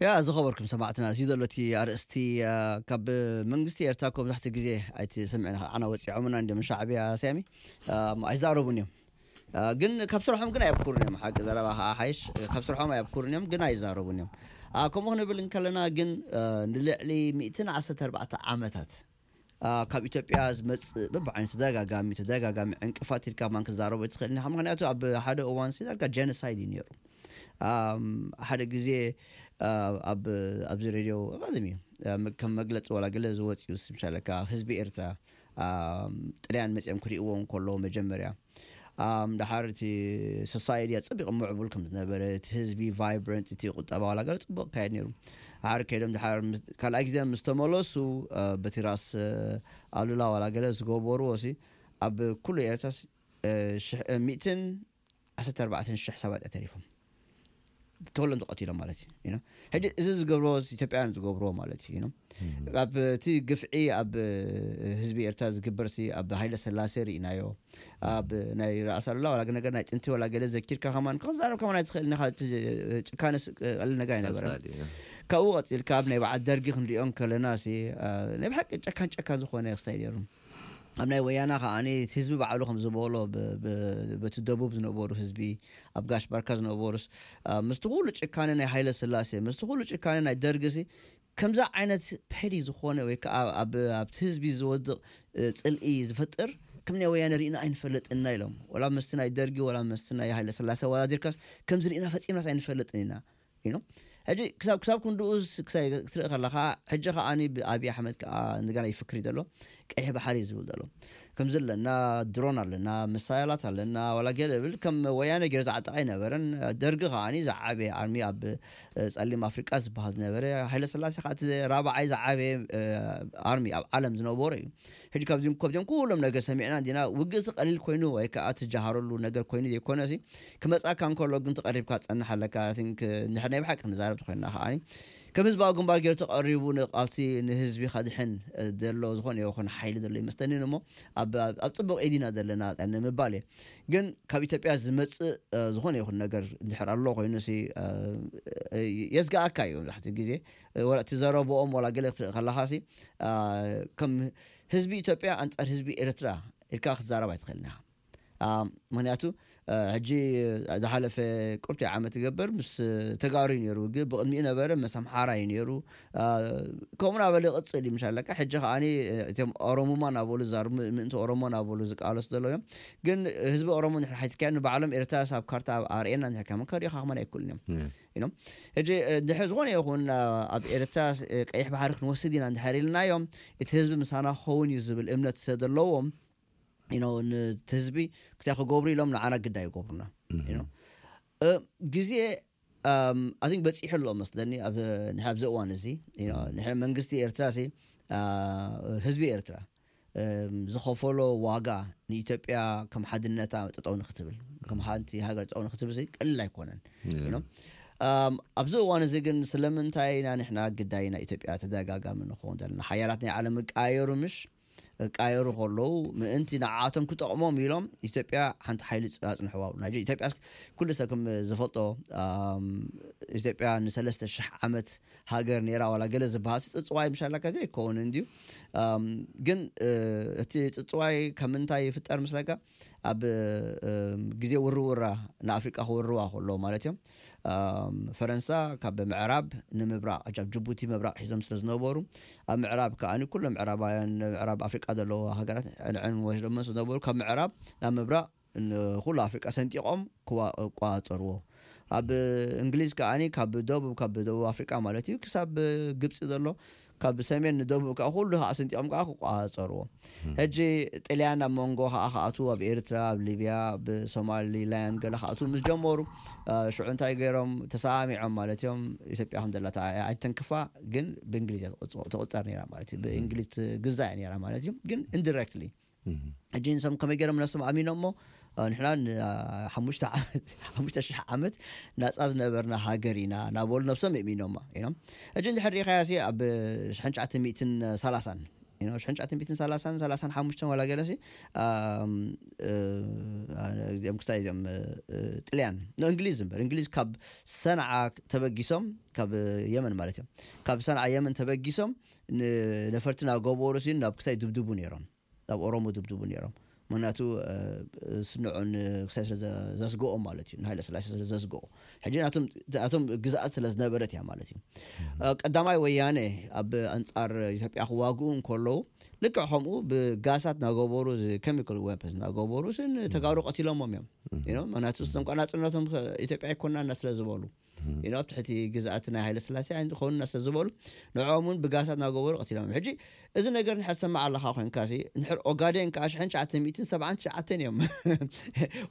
ያ ዝኸበርኩም ሰማዕትና፣ እዚ ዘሎ እቲ ኣርእስቲ፣ አ፣ ካብ መንግስቲ ኤርትራ እኮ ብዙሕቲ ግዜ ኣይትሰምዕን ኢኻ። ዓና ወጺዖምና እንዲዮም ሻዕብያ፣ ሳሚ፣ አ፣ ኣይዛረቡን እዮም። አ፣ ግን ካብ ስርሖም ግን ኣየብኩሩን እዮም። ሓቂ ዘረባ ከዓ ሓይሽ፣ ካብ ስርሖም ኣየብኩሩን እዮም፣ ግን ኣይዛረቡን እዮም። አ፣ ከምኡ ክንብል እንከለና ግን፣ አ፣ ንልዕሊ ሚእትን ዓሰርተ ኣርባዕተ ዓመታት፣ አ፣ ካብ ኢትዮጵያ ዝመጽእ በብዓይነቱ ተደጋጋሚ፣ ተደጋጋሚ ዕንቅፋት ኢልካ ማን ክዛረቦ ትኽእል ኢኻ። ምኽንያቱ ኣብ ሓደ እዋን ሲ ዳርጋ ጀኖሳይድ እዩ ነይሩ። ኣም፣ ሓደ ግዜ፣ አ፣ ኣብ፣ ኣብዚ ሬድዮ ቀደም እዩ፣ አ፣ መ-፣ ከም መግለጺ ዋላ ገለ ዝወጽኡ ስምሻለካ ህዝቢ ኤርትራ፣ ኣም፣ ጥልያን መጺኦም ክርእይዎ እንከሎ መጀመርያ፣ ኣም፣ ደሓር እቲ ሶሳይቲ ኣጸቢቑ ምዕቡል ከም ዝነበረ፣ እቲ ህዝቢ ቫይብረንት፣ እቲ ቁጠባ ዋላ ገለ ጽቡቕ ካየድ ነይሩ። ደሓር ከይዶም ደሓር ምስ-፣ ካልኣይ ግዜ ምስ ተመለሱ፣ አ፣ በቲ ራስ፣ አ፣ ኣሉላ ዋላ ገለ ዝገበርዎ ሲ፣ ኣብ ኩሉ ኤርትራስ፣ አ፣ ሽሕ፣ አ፣ ሚእትን ዓሰርተ ኣርባዕተን ሽሕ ሰባት እዮም ተሪፎም። ተወሎም ተቐቲሎም ማለት እዩ፣ you know። ሕጂ እዚ ዝገብሮ ኢትዮጵያውያን ዝገብርዎ ማለት እዩ፣ you know። ኣብ እቲ ግፍዒ ኣብ ህዝቢ ኤርትራ ዝግበር ሲ ኣብ ሃይለ ሰላሴ ርኢናዮ፣ ኣብ ናይ ራእሲ ኣሉላ ዋላ ነገር ናይ ጥንቲ ዋላ ገለ ዘኪርካ ከማን ክዛረብ ከማን ኣይትኽእል ኢኻ። እቲ ጭካነስ ቀሊል ነገር ኣይነበረን። ኣሳዲ፣ እ። ካብኡ ቀፂልካ ኣብ ናይ በዓል ደርጊ ክንሪኦ ከለና ሲ፣ አ፣ ናይ ብሓቂ ጨካን ጨካን ዝኾነ ክስታይ ነይሩ። ኣብ ናይ ወያና ከዓ እቲ ህዝቢ ባዕሉ ከም ዝበሎ ብ-፣ ብ-፣ በቲ ደቡብ ዝነበሩ ህዝቢ፣ ኣብ ጋሽ ባርካ ዝነበሩስ፣ አ፣ ምስቲ ኩሉ ጭካነ ናይ ሃይለ ስላሴ፣ ምስቲ ኩሉ ጭካነ ናይ ደርግሲ፣ ከምዛ ዓይነት ፔዲ ዝኾነ ወይ ከዓ ኣብ፣ ኣብቲ ህዝቢ ዝወድቕ፣ እ፣ ጽልኢ ዝፈጥር ከም ናይ ወያነ ርኢና ኣይንፈልጥና ኢሎም። ወላ ምስቲ ናይ ደርጊ፣ ወላ ምስቲ ናይ ሃይለ ስላሴ ኣወዳዲርካስ ከምዚ ርኢና ፈጺምናስ ኣይንፈልጥን ኢና። You know? ሕጂ ክሳብ፣ ክሳብ ክንድኡስ ክሳይ ክትርኢ ከለኻ፣ ሕጂ ከዓኒ ብኣብይ ኣሕመድ ከዓ እንደገና ይፍክር እዩ ዘሎ። ቀይሕ ባሕሪ ዝብል ዘሎ። ከምዚ ኣለና፣ ድሮን ኣለና፣ መሳያላት ኣለና፣ ዋላ ገለ ብል ከም ወያነ ገይሩ ዝዓጠቐ ኣይነበረን። ደርጊ ከዓኒ ዝዓበየ ኣርሚ ኣብ ጸሊም ኣፍሪቃ ዝበሃል ዝነበረ። ሃይለ ስላሴ ከዓ እቲ ራብዓይ ዝዓበየ ኣርሚ ኣብ ዓለም ዝነበረ እዩ። ሕጂ ካብዚም ከብዚም ኩሎም ነገር ሰሚዕና እንዲና። ውግእሲ ቀሊል ኮይኑ ወይ ከዓ ትጀሃረሉ ነገር ኮይኑ ዘይኮነሲ፣ ክመጻካ እንከሎ ግን ተቐሪብካ ትጸንሕ ኣለካ። ንድሕር ናይ ብሓቂ ክንዛረብ ተኮይንና ከዓኒ ከም ህዝባዊ ግንባር ገይሩ ተቐሪቡ ንቃልሲ ንህዝቢ ከድሕን ዘሎ ዝኾነ ይኹን ሓይሊ ዘሎ ይመስለኒ። እሞ ኣብ ጽቡቕ ኢዲና ዘለና ንምባል እየ። ግን ካብ ኢትዮጵያ ዝመፅእ ዝኾነ ይኹን ነገር እንድሕር ኣሎ ኮይኑ ሲ የስጋኣካ እዩ። መብዛሕትኡ ግዜ እቲ ዘረብኦም ዋላ ገለ ክትርኢ ከለካ ሲ ከም ህዝቢ ኢትዮጵያ ኣንፃር ህዝቢ ኤርትራ ኢልካ ክትዛረብ ኣይትኽእልና። ምክንያቱ ሕጂ ዝሓለፈ ቁርቲ ዓመት ይገብር ምስ ተጋሩ እዩ ነይሩ፣ ግን ብቕድሚኡ ነበረ ምስ ኣምሓራ እዩ ነይሩ። ከምኡ ናበለ ይቕፅል እዩ። ምሻለካ ሕጂ ከዓኒ እቶም ኦሮሙማ ናበሉ ዛር ምእንቲ ኦሮሞ ናበሉ ዝቃለሱ ዘለዉ እዮም። ግን ህዝቢ ኦሮሞ ንድሕር ሓቲትካዮ ንባዕሎም ኤርትራ ሳብ ካርታ ኣርእየና ንድሕር ከመን ከሪእኻ ከመን ኣይክእሉን እዮም። ሕጂ ድሕሪ ዝኾነ ይኹን ኣብ ኤርትራ ቀይሕ ባሕሪ ክንወስድ ኢና እንድሕር ኢልናዮም፣ እቲ ህዝቢ ምሳና ክኸውን እዩ ዝብል እምነት ስለዘለዎም ኢኖ ነቲ ህዝቢ ክታይ ክገብሩ ኢሎም ንዓና ግዳ ይገብሩና። ግዜ ኣን በፂሑ ኣሎ መስለኒ ኣብዚ እዋን እዚ። ንሕ መንግስቲ ኤርትራ ሲ ህዝቢ ኤርትራ ዝኸፈሎ ዋጋ ንኢትዮጵያ ከም ሓድነታ ጠጠው ንክትብል፣ ከም ሓንቲ ሃገር ጠጠው ንክትብል ቀልል ኣይኮነን። ኣብዚ እዋን እዚ ግን ስለምንታይ ኢና ንሕና ግዳይ ናይ ኢትዮጵያ ተደጋጋሚ ንኸውን ዘለና? ሓያላት ናይ ዓለም ይቃየሩ ምሽ? ይቃየሩ ከለዉ ምእንቲ ንዓቶም ክጠቕሞም ኢሎም ኢትዮጵያ ሓንቲ ሓይሊ ኣፅንሕዋ። ናይ ኢትዮጵያ ኩሉ ሰብ ከም ዝፈልጦ ኢትዮጵያ ንሰለስተ ሽሕ ዓመት ሃገር ነይራ ዋላ ገለ ዝበሃል ጽጽዋይ ምሻላካ ዘይከውን እንድዩ። ግን እቲ ጽጽዋይ ካብ ምንታይ ይፍጠር ምስለካ? ኣብ ግዜ ውርውራ ንኣፍሪቃ ክውርዋ ከሎ ማለት እዮም። ፈረንሳ ካብ ምዕራብ ንምብራቕ፣ ኣብ ጅቡቲ ምብራቕ ሒዞም ስለ ዝነበሩ፣ ኣብ ምዕራብ ከኣ ኩሎም ምዕራባውያን ምዕራብ ኣፍሪቃ ዘለዉ ሃገራት ንዐን ወስዶም ስለ ዝነበሩ ካብ ምዕራብ ናብ ምብራቕ ንኩሉ ኣፍሪቃ ሰንጢቖም ክቋጸርዎ። ኣብ እንግሊዝ ከኣ ካብ ደቡብ ካብ ደቡብ ኣፍሪቃ ማለት እዩ ክሳብ ግብፂ ዘሎ ካብ ሰሜን ንደቡብ ከዓ ኩሉ ከዓ ሰንጢቖም ከዓ ክቋጸርዎ። ሕጂ ጥልያን ኣብ መንጎ ከዓ ክኣትዉ ኣብ ኤርትራ ኣብ ሊብያ ኣብ ሶማሊ ላንድ ገለ ክኣትዉ ምስ ጀመሩ ሽዑ እንታይ ገይሮም ተሰማሚዖም ማለት እዮም። ኢትዮጵያ ከም ዘለታ ኣይተንክፋ ግን ብእንግሊዝ እያ ትቕጸር ነራ ማለት እዩ። ብእንግሊዝ ትግዛ እያ ነራ ማለት እዩ። ግን ኢንዲረክትሊ ሕጂ ንሶም ከመይ ገይሮም ነብሶም ኣሚኖም እሞ ንሕና ሓሙሽተ ዓመት ሓሙሽተ ሽሕ ዓመት ናፃ ዝነበርና ሃገር ኢና ናበሉ ነብሶም የእሚኖማ። ሕጂ እንድሕር ሪኢኻያ ሲ ኣብ ሽሕን ትሽዓተ ሚእትን ሰላሳን ሽሕን ትሽዓተ ሚእትን ሰላሳን ሰላሳን ሓሙሽተን ዋላ ገለሲ እዚኦም ክስታይ እዚኦም ጥልያን ንእንግሊዝ እምበር እንግሊዝ ካብ ሰንዓ ተበጊሶም ካብ የመን ማለት እዮም ካብ ሰንዓ የመን ተበጊሶም ነፈርቲ ናገበሩ ሲ ናብ ክስታይ ድብድቡ ነይሮም ናብ ኦሮሞ ድብድቡ ነይሮም። ምክንያቱ ስንዑን ክሳይ ስለ ዘስግኦም ማለት እዩ። ንሃይለ ስላሴ ስለ ዘስግኦ ሕጂ ናቶም ግዝኣት ስለ ዝነበረት እያ ማለት እዩ። ቀዳማይ ወያነ ኣብ ኣንጻር ኢትዮጵያ ክዋግኡ እንከለዉ ልክዕ ከምኡ ብጋሳት ናገበሩ chemical weapons ናገበሩ ስን ተጋሩ ቀቲሎሞም እዮም። ምክንያቱ ስንቋ ናጽነቶም ኢትዮጵያ ኣይኮናና ስለ ዝበሉ ኢኖ ኣብ ትሕቲ ግዝኣት ናይ ሃይለ ስላሴ ክኾኑና ስለ ዝበሉ ንዕኦም እውን ብጋሳት ናገበሩ ቀቲሎም። ሕጂ እዚ ነገር ንሕሰማዕ ኣለካ ኮይንካ ሲ እንድሕር ኦጋዴን ከዓ ሽሕን ትሽዓተ ሚእትን ሰብዓን ትሽዓተን እዮም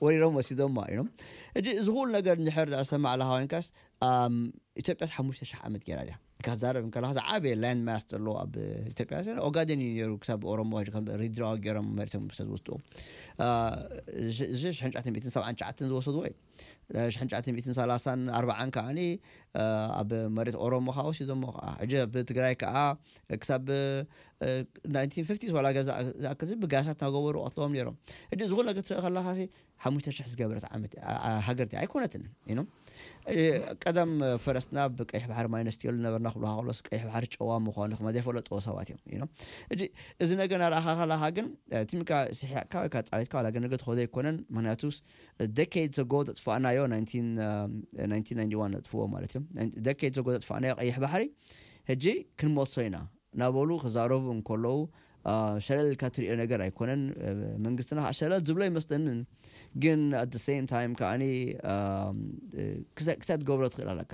ወሪሮም ወሲዶማ ኢኖም። ሕጂ እዚ ኩሉ ነገር እንድሕር ዝሰማዕ ኣለካ ኮይንካስ ኢትዮጵያስ ሓሙሽተ ሽሕ ዓመት ገይራ ድያ? ካዛረብ እንከለካ ዝዓበየ ላንድ ማስ ዘሎ ኣብ ኢትዮጵያ ሲ ኦጋዴን እዩ ነይሩ ክሳብ ኦሮሞ ሕጂ ከም ሪድራዋ ገይሮም መሬቶም ስለ ዝወስድዎም እዚ ሽሕን ትሽዓተ ሚእትን ሰብዓን ትሽዓተን ዝወሰድዎ እዩ። ሽሕን ትሽዓተ ሚእትን ሰላሳን ኣርባዓን ከዓኒ ኣብ መሬት ኦሮሞ ከዓ ወሲዶሞ ከዓ ሕጂ ኣብ ትግራይ ከዓ ክሳብ ናይንቲን ፊፍቲስ ዋላ ገዛ ዝኣክል ብጋሳት ናገበሩ ቀትለዎም ነይሮም። ሕጂ እዚ ኩሉ ነገር ትርኢ ከለካ ሲ ሓሙሽተ ሽሕ ዝገበረት ዓመት ሃገርቲ ኣይኮነትን ኢኖም። ቀደም ፈረስና ብቀይሕ ባሕሪ ማይነስ ትየሉ ነበርና ክብሉ ከሎስ ቀይሕ ባሕሪ ጨዋ ምኳኑ ክማ ዘይፈለጥዎ ሰባት እዮም ኢኖም። ሕጂ እዚ ነገር ናርኣኻ ከለካ ግን ቲምካ ስሒቕካ ወይ ከዓ ፃዊትካ ዋላ ገነገ ትኸዶ ኣይኮነን። ምክንያቱ ደኬድ ዘጎ ዘጥፋእናዮ ናይንቲን ናይንቲ ዋን ነጥፍዎ ማለት እዮም። ደኬድ ዘጎ ዘጥፋእናዮ ቀይሕ ባሕሪ ሕጂ ክንመልሶ ኢና ናበሉ ክዛረቡ እንከለዉ ሸለል ኢልካ ትሪኦ ነገር ኣይኮነን። መንግስትና ከዓ ሸለል ዝብሎ ይመስለንን ግን at the same time ከዓኒ ክሳይ ትገብሮ ትኽእል ኣለካ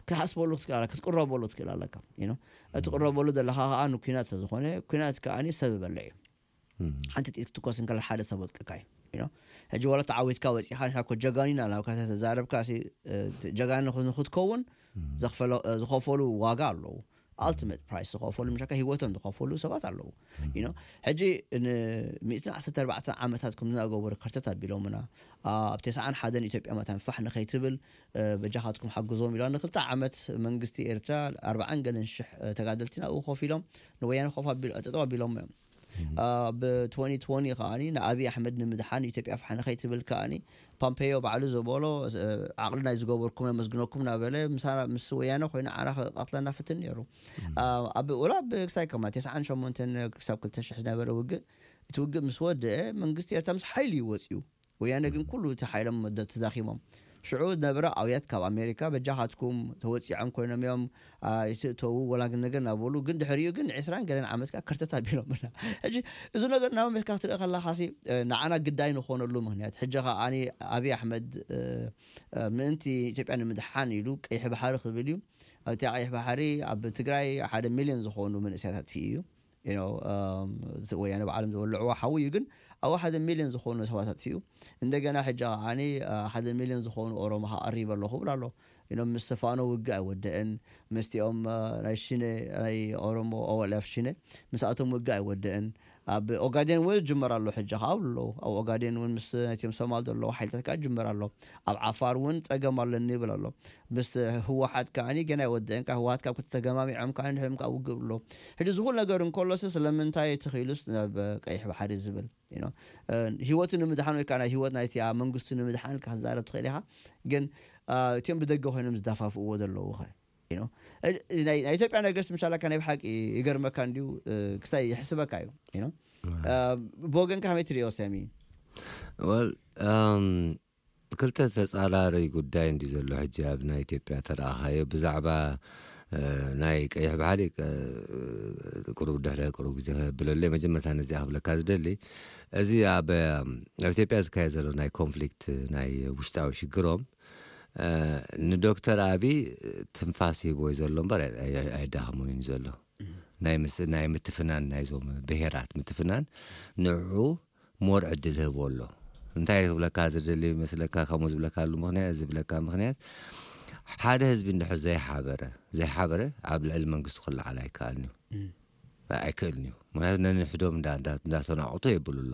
ክትሓስበሉ ክትክእል ኣለካ፣ ክትቅረበሉ ክትክእል ኣለካ። You know? እቲ ቅረበሉ ዘለኻ ከዓ ንኩናት ስለዝኾነ፣ ኩናት ከዓ ሰብ በልዕ እዩ። ሓንቲ ጥይት ክትኮስ እንከላ ሓደ ሰብ ወጥቀካ እዩ። You know? ሕጂ ዋላ ተዓዊትካ ወፂኻ፣ ንሕና እኮ ጀጋኒና ናብ ካታ ተዛረብካ ሲ፣ እ፣ ጀጋኒ ንኽ-፣ ንክትከውን ዘኽፈሎ-፣ እ፣ ዝኸፈሉ ዋጋ ኣለዉ። ኣልቲሜት ፕራይስ ዝኸፈሉ፣ ምሻካ ህይወቶም ዝኸፈሉ ሰባት ኣለዉ። You know? ሕጂ ንሚእትን ዓሰርተ ኣርባዕተ ዓመታት ከም ዝናገበሩ ከርተት ኣቢሎምና፣ ኣብ ተስዓን ሓደን ኢትዮጵያ መታን ፋሕ ንኸይትብል፣ እ፣ በጃኻትኩም ሓግዞም ኢሎም ንክልተ ዓመት መንግስቲ ኤርትራ ኣርባዓን ገለን ሽሕ፣ እ፣ ተጋደልቲ ናብኡ ኮፍ ኢሎም ንወያነ ኮፍ ኣቢሎ-፣ ጠጠው ኣቢሎም እዮም። እ፣ ብ2020 ከዓኒ ንኣብይ ኣሕመድ ንምድሓን ኢትዮጵያ ፋሕ ንኸይትብል ከዓኒ ፓምፔዮ ባዕሉ ዝበሎ፣ እ፣ ዓቕሊ ናይ ዝገበርኩም ነመስግነኩም እናበለ ምሳና፣ ምስ ወያነ ኮይኑ ዓና ክቐትለና ፍትን ነይሩ። እ፣ ኣብ ወላ ብክሳይ ከማ ተስዓን ሸሞንተን ክሳብ ክልተ ሽሕ ዝነበረ ውግእ፣ እቲ ውግእ ምስ ወደአ መንግስቲ ኤርትራ ምስ ሓይሊ እዩ ወፂኡ። ወያነ ግን ኩሉ እቲ ሓይሎም ደ-፣ ተዳኺሞም። ሽዑ ዝነበረ ኣውያት ካብ ኣሜሪካ በጃኻትኩም ተወፂዖም ኮይኖም እዮም፣ አ፣ ይትእተዉ ወላ ግን ነገር እናበሉ፣ ግን ድሕሪኡ ግን ዕስራን ገለን ዓመት ከኣ ከርተት ኣቢሎምና። ሕጂ እዚ ነገር ናብ ኣሜሪካ ክትርኢ ከለኻሲ፣ እ፣ ንዓና ግዳይ ንኾነሉ ምኽንያት፣ ሕጂ ከኣ ኣኒ ኣብይ ኣሕመድ፣ እ፣ እ፣ ምእንቲ ኢትዮጵያ ንምድሓን ኢሉ ቀይሕ ባሕሪ ክብል እዩ። ኣብቲ ቀይሕ ባሕሪ ኣብ ትግራይ ሓደ ሚልዮን ዝኾኑ መንእሰያት ኣጥፊኡ እዩ። You know፣ እም፣ እቲ ወያነ ባዕሎም ዝበልዕዎ ሓዊ እዩ፣ ግን ኣብኡ ሓደ ሚልዮን ዝኾኑ ሰባት ኣጥፊኡ። እንደገና ሕጂ ከዓኒ፣ እ፣ ሓደ ሚልዮን ዝኾኑ ኦሮሞ ከኣ ቀሪበ ኣለኹ ይብል ኣሎ። You know፣ ምስ ፋኖ ውግእ ኣይወደእን፣ ምስቲኦም፣ እ፣ ናይ ሽነ፣ ናይ ኦሮሞ ኦወልፍ ሽነ፣ ምስኣቶም ውግእ ኣይወደእን። ኣብ ኦጋዴን እውን ዝጅመር ኣሎ፣ ሕጂ ከኣ ኣብሉ ኣለዉ። ኣብ ኦጋዴን እውን ምስ ናይቶም ሶማል ዘለዉ ሓይልታት ከኣ ይጅመር ኣሎ። ኣብ ዓፋር እውን ጸገም ኣለኒ ይብል ኣሎ። ምስ ህወሓት ከዓኒ ገና ኣይወደአን፣ ካብ ህወሓት ካብ ክልተ ተገማሚዖም ከዓኒ ድሕሪኦም ከኣ ውግእ ኣሎ። ሕጂ እዚ ኩሉ ነገር እንከሎስ ስለምንታይ ተኽኢሉስ ናብ ቀይሕ ባሕሪ ዝብል? You know፣ እ፣ ህይወቱ ንምድሓን ወይ ከዓ ናይ ህይወት ናይቲ ኣብ መንግስቱ ንምድሓን ኢልካ ክትዛረብ ትኽእል ኢኻ። ግን፣ እ፣ እቲኦም ብደገ ኮይኖም ዝደፋፍእዎ ዘለዉ ኸ? You know፣ እ፣ ናይ፣ ናይ ኢትዮጵያ ነገርስ ምሻላካ ናይ ብሓቂ ይገርመካ እንድዩ፣ እ፣ ክስታይ ይሕስበካ እዩ። You know፣ እ፣ ብወገንካ ከመይ ትርእዮ ሰሚ? ወል እም፣ ክልተ ተጻራሪ ጉዳይ እንዲ ዘሎ ሕጂ ኣብ ናይ ኢትዮጵያ ተረኣኻዮ ብዛዕባ፣ እ፣ ናይ ቀይሕ ባሕሪ፣ እ፣ ቁሩብ ድሕሪ ቁሩብ ግዜ ከብለለይ መጀመርታ ነዚኣ ክብለካ ዝደሊ፣ እዚ ኣብ፣ ኣብ ኢትዮጵያ ዝካየድ ዘሎ ናይ ኮንፍሊክት ናይ ውሽጣዊ ሽግሮም፣ እ፣ ንዶክተር ኣቢ ትንፋስ ሂቦ እዩ ዘሎ እምበር ኣይ-፣ ኣይ-፣ ኣየዳኸሙን እዩ ዘሎ። ናይ ምስ-፣ ናይ ምትፍናን ናይዞም ብሄራት ምትፍናን ንዕኡ ሞር ዕድል ህቦ ኣሎ። እንታይ ክብለካ ዝደሊ መስለካ፣ ከምኡ ዝብለካሉ ምኽንያት፣ ዝብለካ ምኽንያት፣ ሓደ ህዝቢ እንድሕር ዘይሓበረ፣ ዘይሓበረ ኣብ ልዕሊ መንግስቱ ክለዓል ኣይከኣልን እዩ። ኣይክእልን እዩ። ምክንያቱ ነንሕዶም እንዳ-፣ እንዳ-፣ እንዳተናቑቱ የብሉ ኣሎ።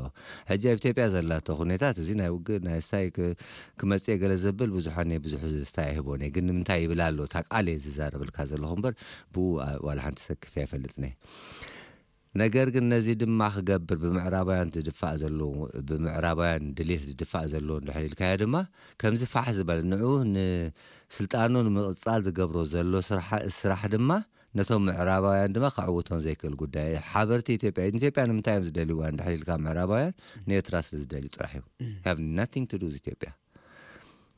ሕጂ ኣብ ኢትዮጵያ ዘላቶ ኩነታት፣ እዚ ናይ ውግእ፣ ናይ ስታይ ክ-፣ ክመጽእ ገለ ዘብል ብዙሕ፣ ኣነ ብዙሕ ስታይ ኣይህቦን እየ። ግን ንምንታይ ይብል ኣሎ? እታ ቃል እየ ዝዛረበልካ ዘለኹ እምበር፣ ብኡ፣ አ-፣ ዋላ ሓንቲ ሰክፍ ኣይፈልጥን እየ። ነገር ግን ነዚ ድማ ክገብር ብምዕራባውያን ዝድፋእ ዘሎ፣ ብምዕራባውያን ድሌት ዝድፋእ ዘሎ እንድሕር ኢልካዮ ድማ፣ ከምዚ ፋሕ ዝበለ ንዑ ንስልጣኑ ንምቕጻል ዝገብሮ ዘሎ ስራሕ፣ ስራሕ ድማ ነቶም ምዕራባውያን ድማ ከዕውቶን ዘይክእል ጉዳይ እዩ። ሓበርቲ ኢትዮጵያ፣ ኢትዮጵያ ንምንታይ እዮም ዝደልይዋ እንድሕር ኢልካ ምዕራባውያን ንኤርትራ ስለ ዝደልዩ ጥራሕ እዩ። Have nothing to do with ኢትዮጵያ።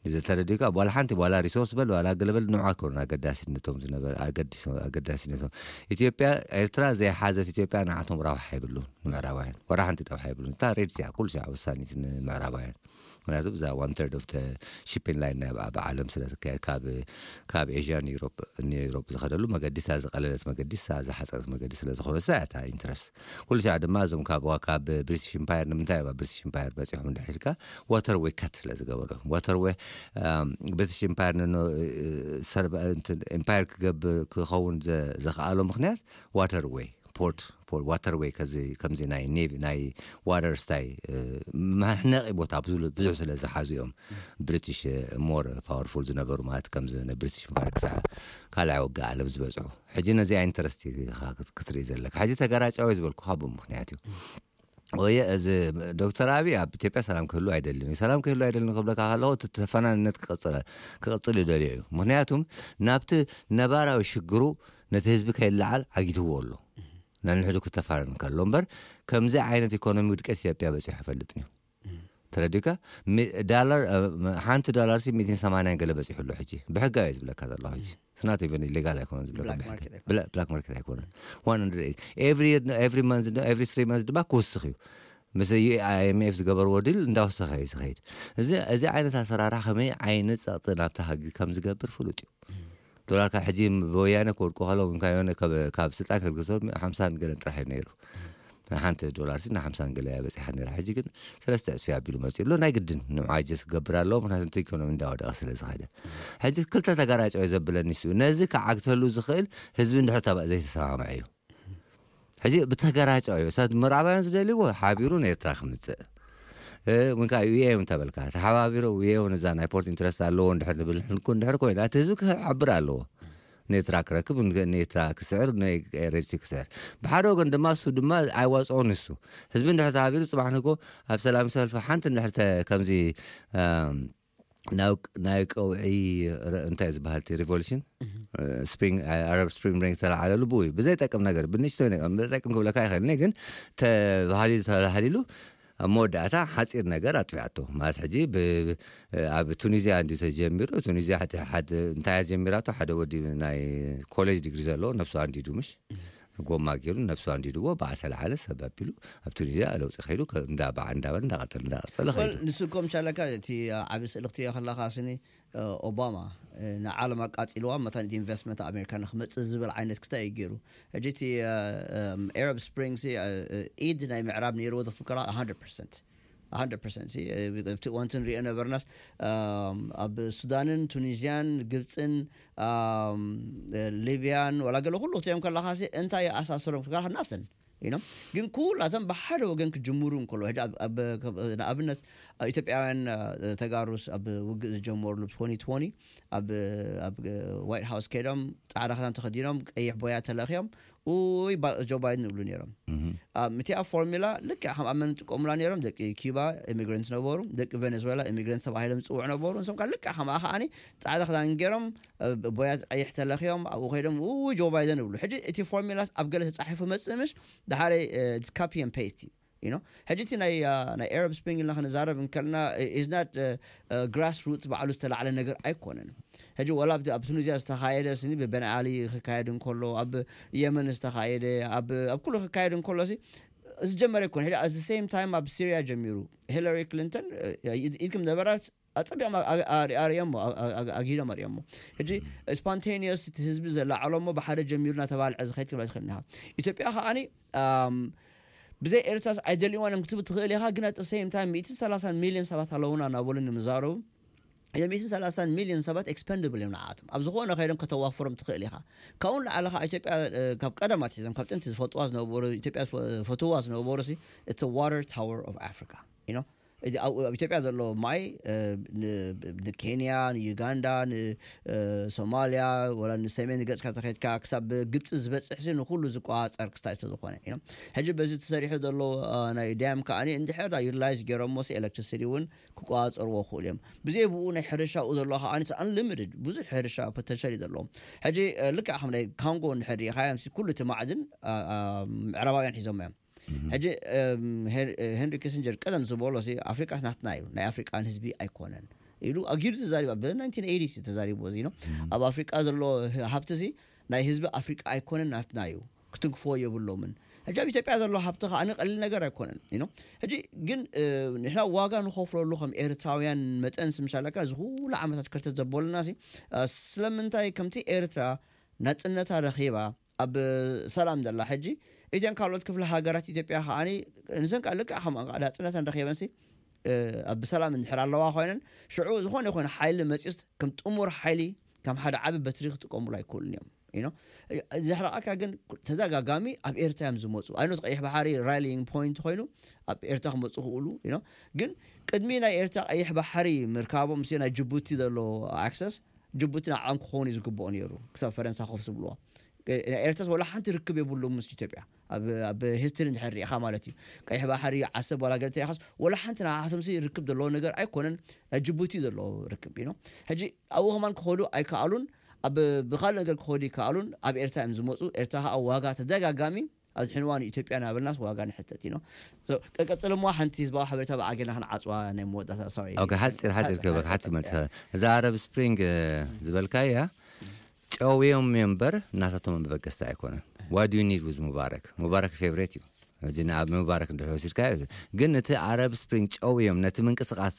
እዚ ተረዲእካ፣ ዋላ ሓንቲ፣ ዋላ ሪሶርስ በል፣ ዋላ ገለ በል፣ ንዑ ኣይኮኑን ኣገዳሲነቶም ዝነበረ፣ ኣገዲሶ-፣ ኣገዳሲነቶም። ኢትዮጵያ፣ ኤርትራ ዘይሓዘት ኢትዮጵያ ንዓቶም ረብሓ የብሉን፣ ንምዕራባውያን። ዋላ ሓንቲ ረብሓ የብሉን። እታ ሬድ ሲያ፣ ኩሉ ሻዕ ወሳኒት ንምዕራባውያን። ምክንያቱ ብዛ ዋን ተርድ ኦፍ ተ ሺፒንግ ላይን ናይ ኣብ ዓለም ስለ ትካየድ፣ ካብ፣ ካብ ኤዥያ ንዩሮፕ፣ ንዩሮፕ ዝኸደሉ መገዲ እታ ዝቐለለት መገዲ፣ እታ ዝሓፀረት መገዲ ስለ ዝኾነ፣ እሳ እያ እታ ኢንትረስት። ኩሉ ሻዕ ድማ እዞም ካብ፣ ካብ ብሪቲሽ ኢምፓየር፣ ንምንታይ ኣብ ብሪቲሽ ኢምፓየር በፂሖም እንድሕር ኢልካ፣ ዋተር ዌይ ካት ስለ ዝገበሩ። ዋተር ዌይ፣ ኣም፣ ብሪቲሽ ኢምፓየር ንኖ-፣ እ፣ ሰርቫ-፣ እንትን፣ ኢምፓየር ክገብር፣ ክኸውን ዘ-፣ ዘኽኣሎ ምኽንያት ዋተር ዌይ፣ ፖርት፣ ፖርት፣ ዋተር ዌይ፣ ከዚ፣ ከምዚ ናይ ኔቪ፣ ናይ ዋተር ስታይ፣ እ፣ መሕነቒ ቦታ ብዙ፣ ብዙሕ ስለ ዝሓዙ እዮም ብሪቲሽ፣ እ፣ ሞር ፓወርፉል ዝነበሩ፣ ማለት ከምዚ ናይ ብሪቲሽ ኢምፓየር ክሳዕ ካልኣይ ውግእ ዓለም ዝበፅሑ። ሕጂ ነዚኣ ኢንተረስት ኢኻ ክት-፣ ክትርኢ ዘለካ። ሕጂ ተገራጫዊ ዝበልኩኻ ብኡ ምኽንያት እዩ። ወየ እዚ ዶክተር ኣብይ ኣብ ኢትዮጵያ ሰላም ክህሉ ኣይደልን እዩ። ሰላም ክህሉ ኣይደልን ክብለካ ከለኹ፣ እቲ ተፈናንነት ክቕጽል፣ ክቕጽል ይደልዮ እዩ። ምኽንያቱም ናብቲ ነባራዊ ሽግሩ ነቲ ህዝቢ ከይለዓል ዓጊትዎ ኣሎ። ነንሕዱ ክተፋነን ከሎ እምበር፣ ከምዚ ዓይነት ኢኮኖሚ ውድቀት ኢትዮጵያ በጺሑ ኣይፈልጥን እዩ። ተረዲካ? ሚ-፣ ዳላር፣ እ፣ ሓንቲ ዳላር ሲ ሚእትን ሰማንያን ገለ በጺሑ ኣሎ ሕጂ። ብሕጋዊ እየ ዝብለካ ዘለኹ ሕጂ። ስናት ኢቨን ኢሌጋል ኣይኮነን ዝብለካ ብላክ ብሕጊ። ማርኬት ኣይኮነን። ብላ-፣ ብላክ ማርኬት ኣይኮነን። ዋን ሃንድረድ ኤይት። ኤቭሪ፣ ኤቭሪ መንዝ፣ ኤቭሪ ስሪ መንዝ ድማ ክውስኽ እዩ። ምስ ዩ-፣ ኣይ ኤም ኤፍ ዝገበርዎ ዲል እንዳወሰኸ እዩ ዝኸይድ። እዚ፣ እዚ ዓይነት ኣሰራርሓ ከመይ ዓይነት ጸቕጢ ናብቲ ሃገር ከም ዝገብር ፍሉጥ እዩ። ዶላር ካብ ሕጂ ብወያነ ክወድቁ ከለዉ፣ ካብ የሆነ ካብ፣ ካብ ስልጣን ከልግሶም ሓምሳን ገለን ጥራሕ እዩ ነይሩ። ሓንቲ ዶላር ሲ ሓምሳን ገለ እያ በጺሓ ነይራ። ሕጂ ግን ሰለስተ ዕጽፊ ኣቢሉ መጺኡ ኣሎ። ናይ ግድን ንብዓይ ጀስ ክገብር ኣለዎ፣ ምክንያቱ እቲ ኢኮኖሚ እንዳወደቐ ስለ ዝኸደ። ሕጂ ክልተ ተጋራጨው ዘብለኒ እሱ፣ ነዚ ክዓግተሉ ዝኽእል ህዝቢ እንድሕር ተባ-፣ ዘይተሰማምዐ እዩ። ሕጂ ብተገራጨው እዩ። እሳት ምዕራባውያን ዝደልይዎ ሓቢሩ ንኤርትራ ክምጽእ። እ፣ ወይ ከዓ ዩ ኤ ዩ እንተበልካ፣ ተሓባቢሩ ዩ ኤ ዩ ነዛ ናይ ፖርት ኢንትረስት ኣለዎ እንድሕር ንብል ንኩ እንድሕር ኮይና፣ እቲ ህዝቢ ክሓብር ኣለዎ። ንኤርትራ ክረክብ፣ ን-፣ ንኤርትራ ክስዕር፣ ንኤርትራ ክስዕር። ብሓደ ወገን ድማ እሱ ድማ ኣይዋጽኦን እሱ። ህዝቢ እንድሕር ተሓቢሩ ጽባሕ ንግሆ ኣብ ሰላም ሰልፊ ሓንቲ እንድሕር ተ-፣ ከምዚ፣ ኣም፣ ናይ ቅ-፣ ናይ ቀውዒ ረ-፣ እንታይ እዩ ዝበሃል እቲ ሪቮሉሽን? እ፣ ስፕሪንግ፣ ኣረብ ስፕሪንግ ብሬክ ዝተለዓለሉ ብኡ እዩ። ብዘይጠቅም ነገር፣ ብንእሽቶይ ነገር፣ ብዘይጠቅም ክብለካ ኣይኽእልን እየ፣ ግን ተባህሊሉ፣ ተባህሊሉ ኣብ መወዳእታ ሓጺር ነገር ኣጥፊኣቶ። ማለት ሕጂ ብ-፣ ኣብ ቱኒዝያ እንድዩ ተጀሚሩ። ቱኒዝያ ሕቲ-፣ ሓድ-፣ እንታይ እያ ጀሚራቶ? ሓደ ወዲ ናይ ኮሌጅ ዲግሪ ዘለዎ ነብሱ ኣንዲዱ፣ ምሽ? ጎማ ገይሩ ነብሱ ኣንዲድዎ፣ ብኣ ተለዓለ፣ ሰብ ኣቢሉ ኣብ ቱኒዝያ ለውጢ ከይዱ፣ ከ-፣ እንዳ በዓ-፣ እንዳበለ፣ እንዳቐጸለ፣ እንዳቐጸለ ወል፣ ከይዱ። ንሱ እኮ ምሻለካ እቲ ዓቢ ስእሊ ክትሪኦ ከለኻ ስኒ፣ እ፣ ኦባማ፣ እ፣ ንዓለም ኣቃጺልዋ፣ መታን ኢንቨስትመንት ኣሜሪካ ንክመጽእ ዝብል ዓይነት ክስታይ እዩ ገይሩ። ሕጂ እቲ፣ እ፣ እም፣ ኣረብ ስፕሪንግ ሲ፣ እ፣ እ፣ ኢድ ናይ ምዕራብ ነይርዎ ዶ ክትብል ከለኻ፣ ሃንድረድ ፐርሰንት። ሃንድረድ ፐርሰንት ሲ፣ እ፣ ኣብቲ እዋንቲ ንሪኦ ነበርናስ፣ ኣም፣ ኣብ ሱዳንን ቱኒዝያን ግብጽን፣ ኣም፣ እ፣ ሊብያን፣ ወላ ገለ ኩሉ ክትሪኦም ከለኻ ሲ፣ እንታይ ይኣሳስሮም ክትብል ከለኻ፣ ናትን። You know? ግን ኩላቶም ብሓደ ወገን ክጅምሩ እንከሎ፣ ሕጂ ኣብ፣ ኣብ፣ ንኣብነት፣ ኣብ ኢትዮጵያውያን፣ እ፣ ተጋሩስ ኣብ ውግእ ዝጀመሩሉ ትወኒ ትወኒ ኣብ፣ ኣብ ዋይት ሃውስ ከይዶም ጻዕዳ ክዳን ተኸዲኖም ቀይሕ ቦያ ተለኽዮም፣ "ኡይ፣ ባ-፣ ጆ ባይደን" ይብሉ ነይሮም። እም፣ እቲኣ ፎርሙላ ልክዕ ከም ኣብ መን ይጥቀሙላ ነይሮም? ደቂ ኪባ ኢሚግራንት ነበሩ፣ ደቂ ቬኔዙዌላ ኢሚግራንት ተባሂሎም ዝጽውዑ ነበሩ። ንሶም ከኣ ልክዕ ከምኣ ከኣኒ ጻዕዳ ክዳን ገይሮም፣ እ፣ ቦያ ቀይሕ ተለኽዮም ኣብኡ ከይዶም፣ "ኡይ፣ ጆ ባይደን" ይብሉ። ሕጂ እቲ ፎርሙላ ኣብ ገለ ተጻሒፉ መጽእ ምሽ፣ ድሓረይ፣ እ፣ it's copy and paste እዩ። You know? ሕጂ እቲ ናይ፣ አ፣ ናይ ኣረብ ስፕሪንግ ኢልና ክንዛረብ እንከለና፣ እ፣ is not፣ እ፣ እ፣ ግራስ ሩትስ ባዕሉ ዝተላዕለ ነገር ኣይኮነን። ሕጂ ወላ ኣብቲ፣ ኣብ ቱኒዝያ ዝተኻየደ ስኒ ብበን ዓሊ ክካየድ እንከሎ፣ ኣብ የመን ዝተኻየደ፣ ኣብ፣ ኣብ ኩሉ ክካየድ እንከሎ ሲ ዝጀመረ ኣይኮነ። ሕጂ at the same time ኣብ ሲርያ ጀሚሩ። ሂለሪ ክሊንተን፣ እ፣ ኢድ-፣ ኢድኩም ነበራት ኣጸቢቖም ኣ-፣ ኣ-፣ ኣ-፣ ኣርእዮሞ፣ ኣ-፣ ኣ-፣ ኣ-፣ ኣግሂዶም ኣርእዮሞ። ሕጂ ስፖንቴኒየስ እቲ ህዝቢ ዘላዕሎሞ ብሓደ ጀሚሩ እናተባልዐ ዝኸይድ ክብላ ትኽእል ኢኻ። ኢትዮጵያ ከኣኒ፣ ኣም፣ ብዘይ ኤርትራስ ኣይደልይዋን እዮም ክትብል ትኽእል ኢኻ፣ ግን at the same time ሚእትን ሰላሳን ሚልዮን ሰባት ኣለዉና እናበሉ ንምዛረቡ፣ እዞም ሚእትን ሰላሳን ሚልዮን ሰባት ኤክስፐንድብል እዮም ንዓኣቶም። ኣብ ዝኾነ ከይዶም ከተዋፍሮም ትኽእል ኢኻ። ካብኡ ንላዕሊ ኸዓ ኢትዮጵያ፣ እ፣ ካብ ቀደም ኣትሒዞም፣ ካብ ጥንቲ ዝፈልጥዋ ዝነበሩ፣ ኢትዮጵያ ዝፈ-፣ ዝፈትውዋ ዝነበሩ ሲ፣ it's a water tower of Africa, you know? እዚ ኣብ፣ ኣብ ኢትዮጵያ ዘሎ ማይ፣ እ፣ ን-፣ ንኬንያ፣ ንዩጋንዳ፣ ን-፣ እ፣ ሶማልያ፣ ወላ ንሰሜን ገጽካ ተኸድካ ክሳብ ግብጺ ዝበጽሕ ሲ ንኹሉ ዝቆጻጸር ክስታይ ስለ ዝኾነ፣ you know? ሕጂ በዚ ተሰሪሑ ዘሎ፣ እ፣ ናይ ዳም ከኣኒ እንድሕር ዳ ዩቲላይዝ ገይሮሞ ሲ ኤሌክትሪሲቲ እውን ክቆጻጸርዎ ክኽእሉ እዮም። ብዘይ ብኡ ናይ ሕርሻ ኣብኡ ዘሎ ከኣኒ ሲ ኣንሊሚትድ ብዙሕ ሕርሻ ፖተንሻል እዩ ዘለዎም። ሕጂ፣ እ፣ ልክዕ ከም ናይ ካንጎ እንድሕር ርኢኻዮም ሲ ኩሉ እቲ ማዕድን፣ እ፣ እ፣ ምዕራባውያን ሒዞሞ እዮም። ሕጂ፣ እም፣ ሄን-፣ ሄንሪ ኪሲንጀር ቀደም ዝበሎ ሲ፣ "ኣፍሪቃ ናትና እዩ፣ ናይ ኣፍሪቃን ህዝቢ ኣይኮነን" ኢሉ ኣጊዱ ተዛሪቡ። ኣብ ናይንቲን ኤይቲስ እዩ ተዛሪቡ እዚ ነው። ኣብ ኣፍሪቃ ዘሎ ህ-፣ ሃብቲ ሲ፣ ናይ ህዝቢ ኣፍሪቃ ኣይኮነን፣ ናትና እዩ፣ ክትንክፍዎ የብሎምን። ሕጂ ኣብ ኢትዮጵያ ዘሎ ሃብቲ ከኣ ቀሊል ነገር ኣይኮነን፣ you know። ሕጂ ግን፣ እ፣ ንሕና ዋጋ ንኸፍለሉ ከም ኤርትራውያን መጠን ሲ፣ ምሻለካ እዚ ኩሉ ዓመታት ከርተት ዘበሉና ሲ፣ እ፣ ስለምንታይ ከምቲ ኤርትራ ናጽነታ ረኺባ ኣብ ሰላም ዘላ ሕጂ፣ እተን ካልኦት ክፍለ ሃገራት ኢትዮጵያ ከኣኒ ንሰን ከኣ ልክዕ ከምኣን ከኣ ናጽነተን ረኺበንሲ፣ እ፣ ኣብ ሰላም እንድሕር ኣለዋ ኮይነን፣ ሽዑ ዝኾነ ይኹን ሓይሊ መጺኡስ ከም ጥሙር ሓይሊ፣ ከም ሓደ ዓቢ በትሪ ክጥቀሙሉ ኣይክእሉን እዮም። You know? ዘሕርቓካ ግን ተደጋጋሚ ኣብ ኤርትራ እዮም ዝመጹ። ኣይኖት ቀይሕ ባሕሪ ራይሊንግ ፖይንት ኮይኑ ኣብ ኤርትራ ክመጹ ክእሉ፣ you know? ግን ቅድሚ ናይ ኤርትራ ቀይሕ ባሕሪ ምርካቦም፣ ምስ ናይ ጅቡቲ ዘሎ ኣክሰስ፣ ጅቡቲ ንዓኦም ክኸውን እዩ ዝግብኦ ነይሩ፣ ክሳብ ፈረንሳ ኮፍ ዝብልዋ። እ፣ ኤርትራስ ወላ ሓንቲ ርክብ የብሉ ምስ ኢትዮጵያ። ኣብ፣ ኣብ ሂስትሪ እንድሕር ርኢኻ ማለት እዩ። ቀይሕ ባሕሪ፣ ዓሰብ፣ ዋላ ገለ ተሪኻስ፣ ወላ ሓንቲ ንዓኣቶምሲ ርክብ ዘለዎ ነገር ኣይኮነን። ናይ ጅቡቲ ዘለዎ ርክብ፣ you know። ሕጂ ኣብኡ ከማን ክኸዱ ኣይከኣሉን። ኣብ፣ ብኻልእ ነገር ክኸዱ ይከኣሉን። ኣብ ኤርትራ እዮም ዝመጹ። ኤርትራ ከኣ ዋጋ ተደጋጋሚ ኣድሕንዋ ንኢትዮጵያ እናበልናስ ዋጋ ንሕተት፣ you know። So፣ ቀ-፣ ቀጽል እሞ ሓንቲ ህዝባዊ ሓበሬታ ብኣጌና ክንዓጽዋ ናይ መወዳእታ፣ ሶሪ። ኦኬ፣ ሓጺር፣ ሓጺር ሓጺር፣ ክበል፣ ሓጺር ሓጺር መጽ-፣ መጽ-፣ እዛ ኣረብ ስፕሪንግ፣ እ፣ ዝበልካያ ጨውዮም እምበር ናታቶም መበገስቲ ኣይኮነን። What do you need with ሙባረክ? ሙባረክ ፌቨሬት እዩ። ሕጂ ንኣብ ምባረክ እንድሕር ወሲድካዮ፣ ግን እቲ ኣረብ ስፕሪንግ ጨውዮም ነቲ ምንቅስቃስ፣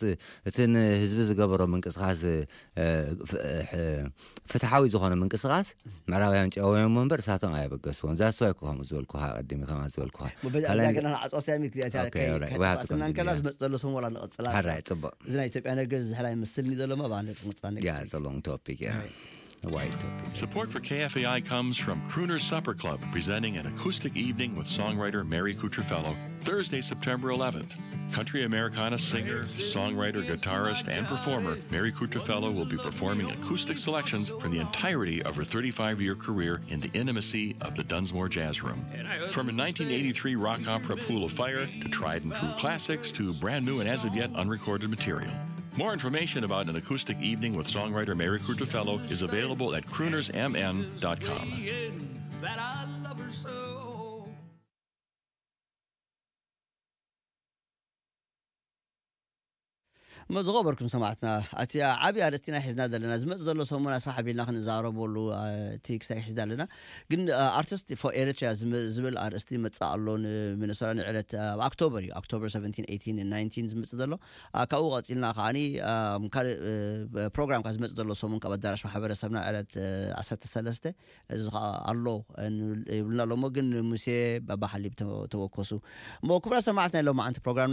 እቲ ንህዝቢ ዝገበሮ ምንቅስቃስ፣ እ፣ ፍ-፣ እ፣ ፍትሓዊ ዝኾነ ምንቅስቃስ ምዕራባውያን ጨውዮም እምበር እሳቶም ኣየበገስዎን። ዛስዋይ እኮ ከምኡ ዝበልኩኻ፣ ቀዲመ ከማ ዝበልኩኻ። በዚ ካልኣይ ኣብዛ ገና ንዓጽዋ ስያሚ እዚኣ እታ ኦኬ፣ ከይ-፣ ኦራይት። ከይጠፋእና ዋሃብቲ እንከላ ኮንቲኒ። ዝመጽእ ዘሎ ሰሙን ዋላ ንቕጽላ። ሓራይ፣ ጽቡቕ። እዚ ናይ ኢትዮጵያ ነገር ዝሕላ ይመስልኒ ዘሎ እሞ፣ ብኣንደ ንቕጽላ ያ፣ next week። It's a long topic, yeah. Right. A wide topic. Support for K F A I comes from Crooner's Supper Club, presenting an acoustic evening with songwriter Mary Kutrafello, Thursday, September eleventh. Country Americana singer, songwriter, guitarist, and performer Mary Kutrafello will be performing acoustic selections from the entirety of her thirty-five-year career in the intimacy of the Dunsmore Jazz Room. From a nineteen eighty-three rock opera Pool of Fire to tried and true classics to brand new and as of yet unrecorded material. More information about an acoustic evening with songwriter Mary Kutrafello is available at croonersmn.com. እሞ ዝኸበርኩም ሰማዕትና፣ እቲ ዓብዪ ኣርእስቲና ሒዝና ዘለና ዝመጽእ ዘሎ ሰሙን ኣስፋሕ ኣቢልና ክንዛረበሉ፣ እ፣ እቲ ክሳይ ሒዝና ኣለና። ግን፣ እ፣ ኣርቲስት ፎር ኤሪትሪያ ዝም-፣ ዝብል ኣርእስቲ ይመጽእ ኣሎ። ንሚነሶታ ንዕለት፣ እ፣ ኣብ ኣክቶበር እዩ፣ ኣክቶበር ሰቨንቲን፣ ኤይቲን፣ ናይንቲን ዝመጽእ ዘሎ። እ፣ ካብኡ ቀጺልና ከዓኒ፣ እ፣ ካልእ፣ እ፣ ፕሮግራም ካብ ዝመጽእ ዘሎ ሰሙን ካብ ኣዳራሽ ማሕበረሰብና ዕለት፣ እ፣ ዓሰርተ ሰለስተ እዚ ኸዓ ኣሎ፣ እ፣ ንብል-፣ ይብልና ኣሎ። እሞ ግን ሙሴ ባባ ሓሊብ ተወ-፣ ተወከሱ። እሞ ክቡራት ሰማዕትና፣ ሎማዓንቲ ፕሮግራምና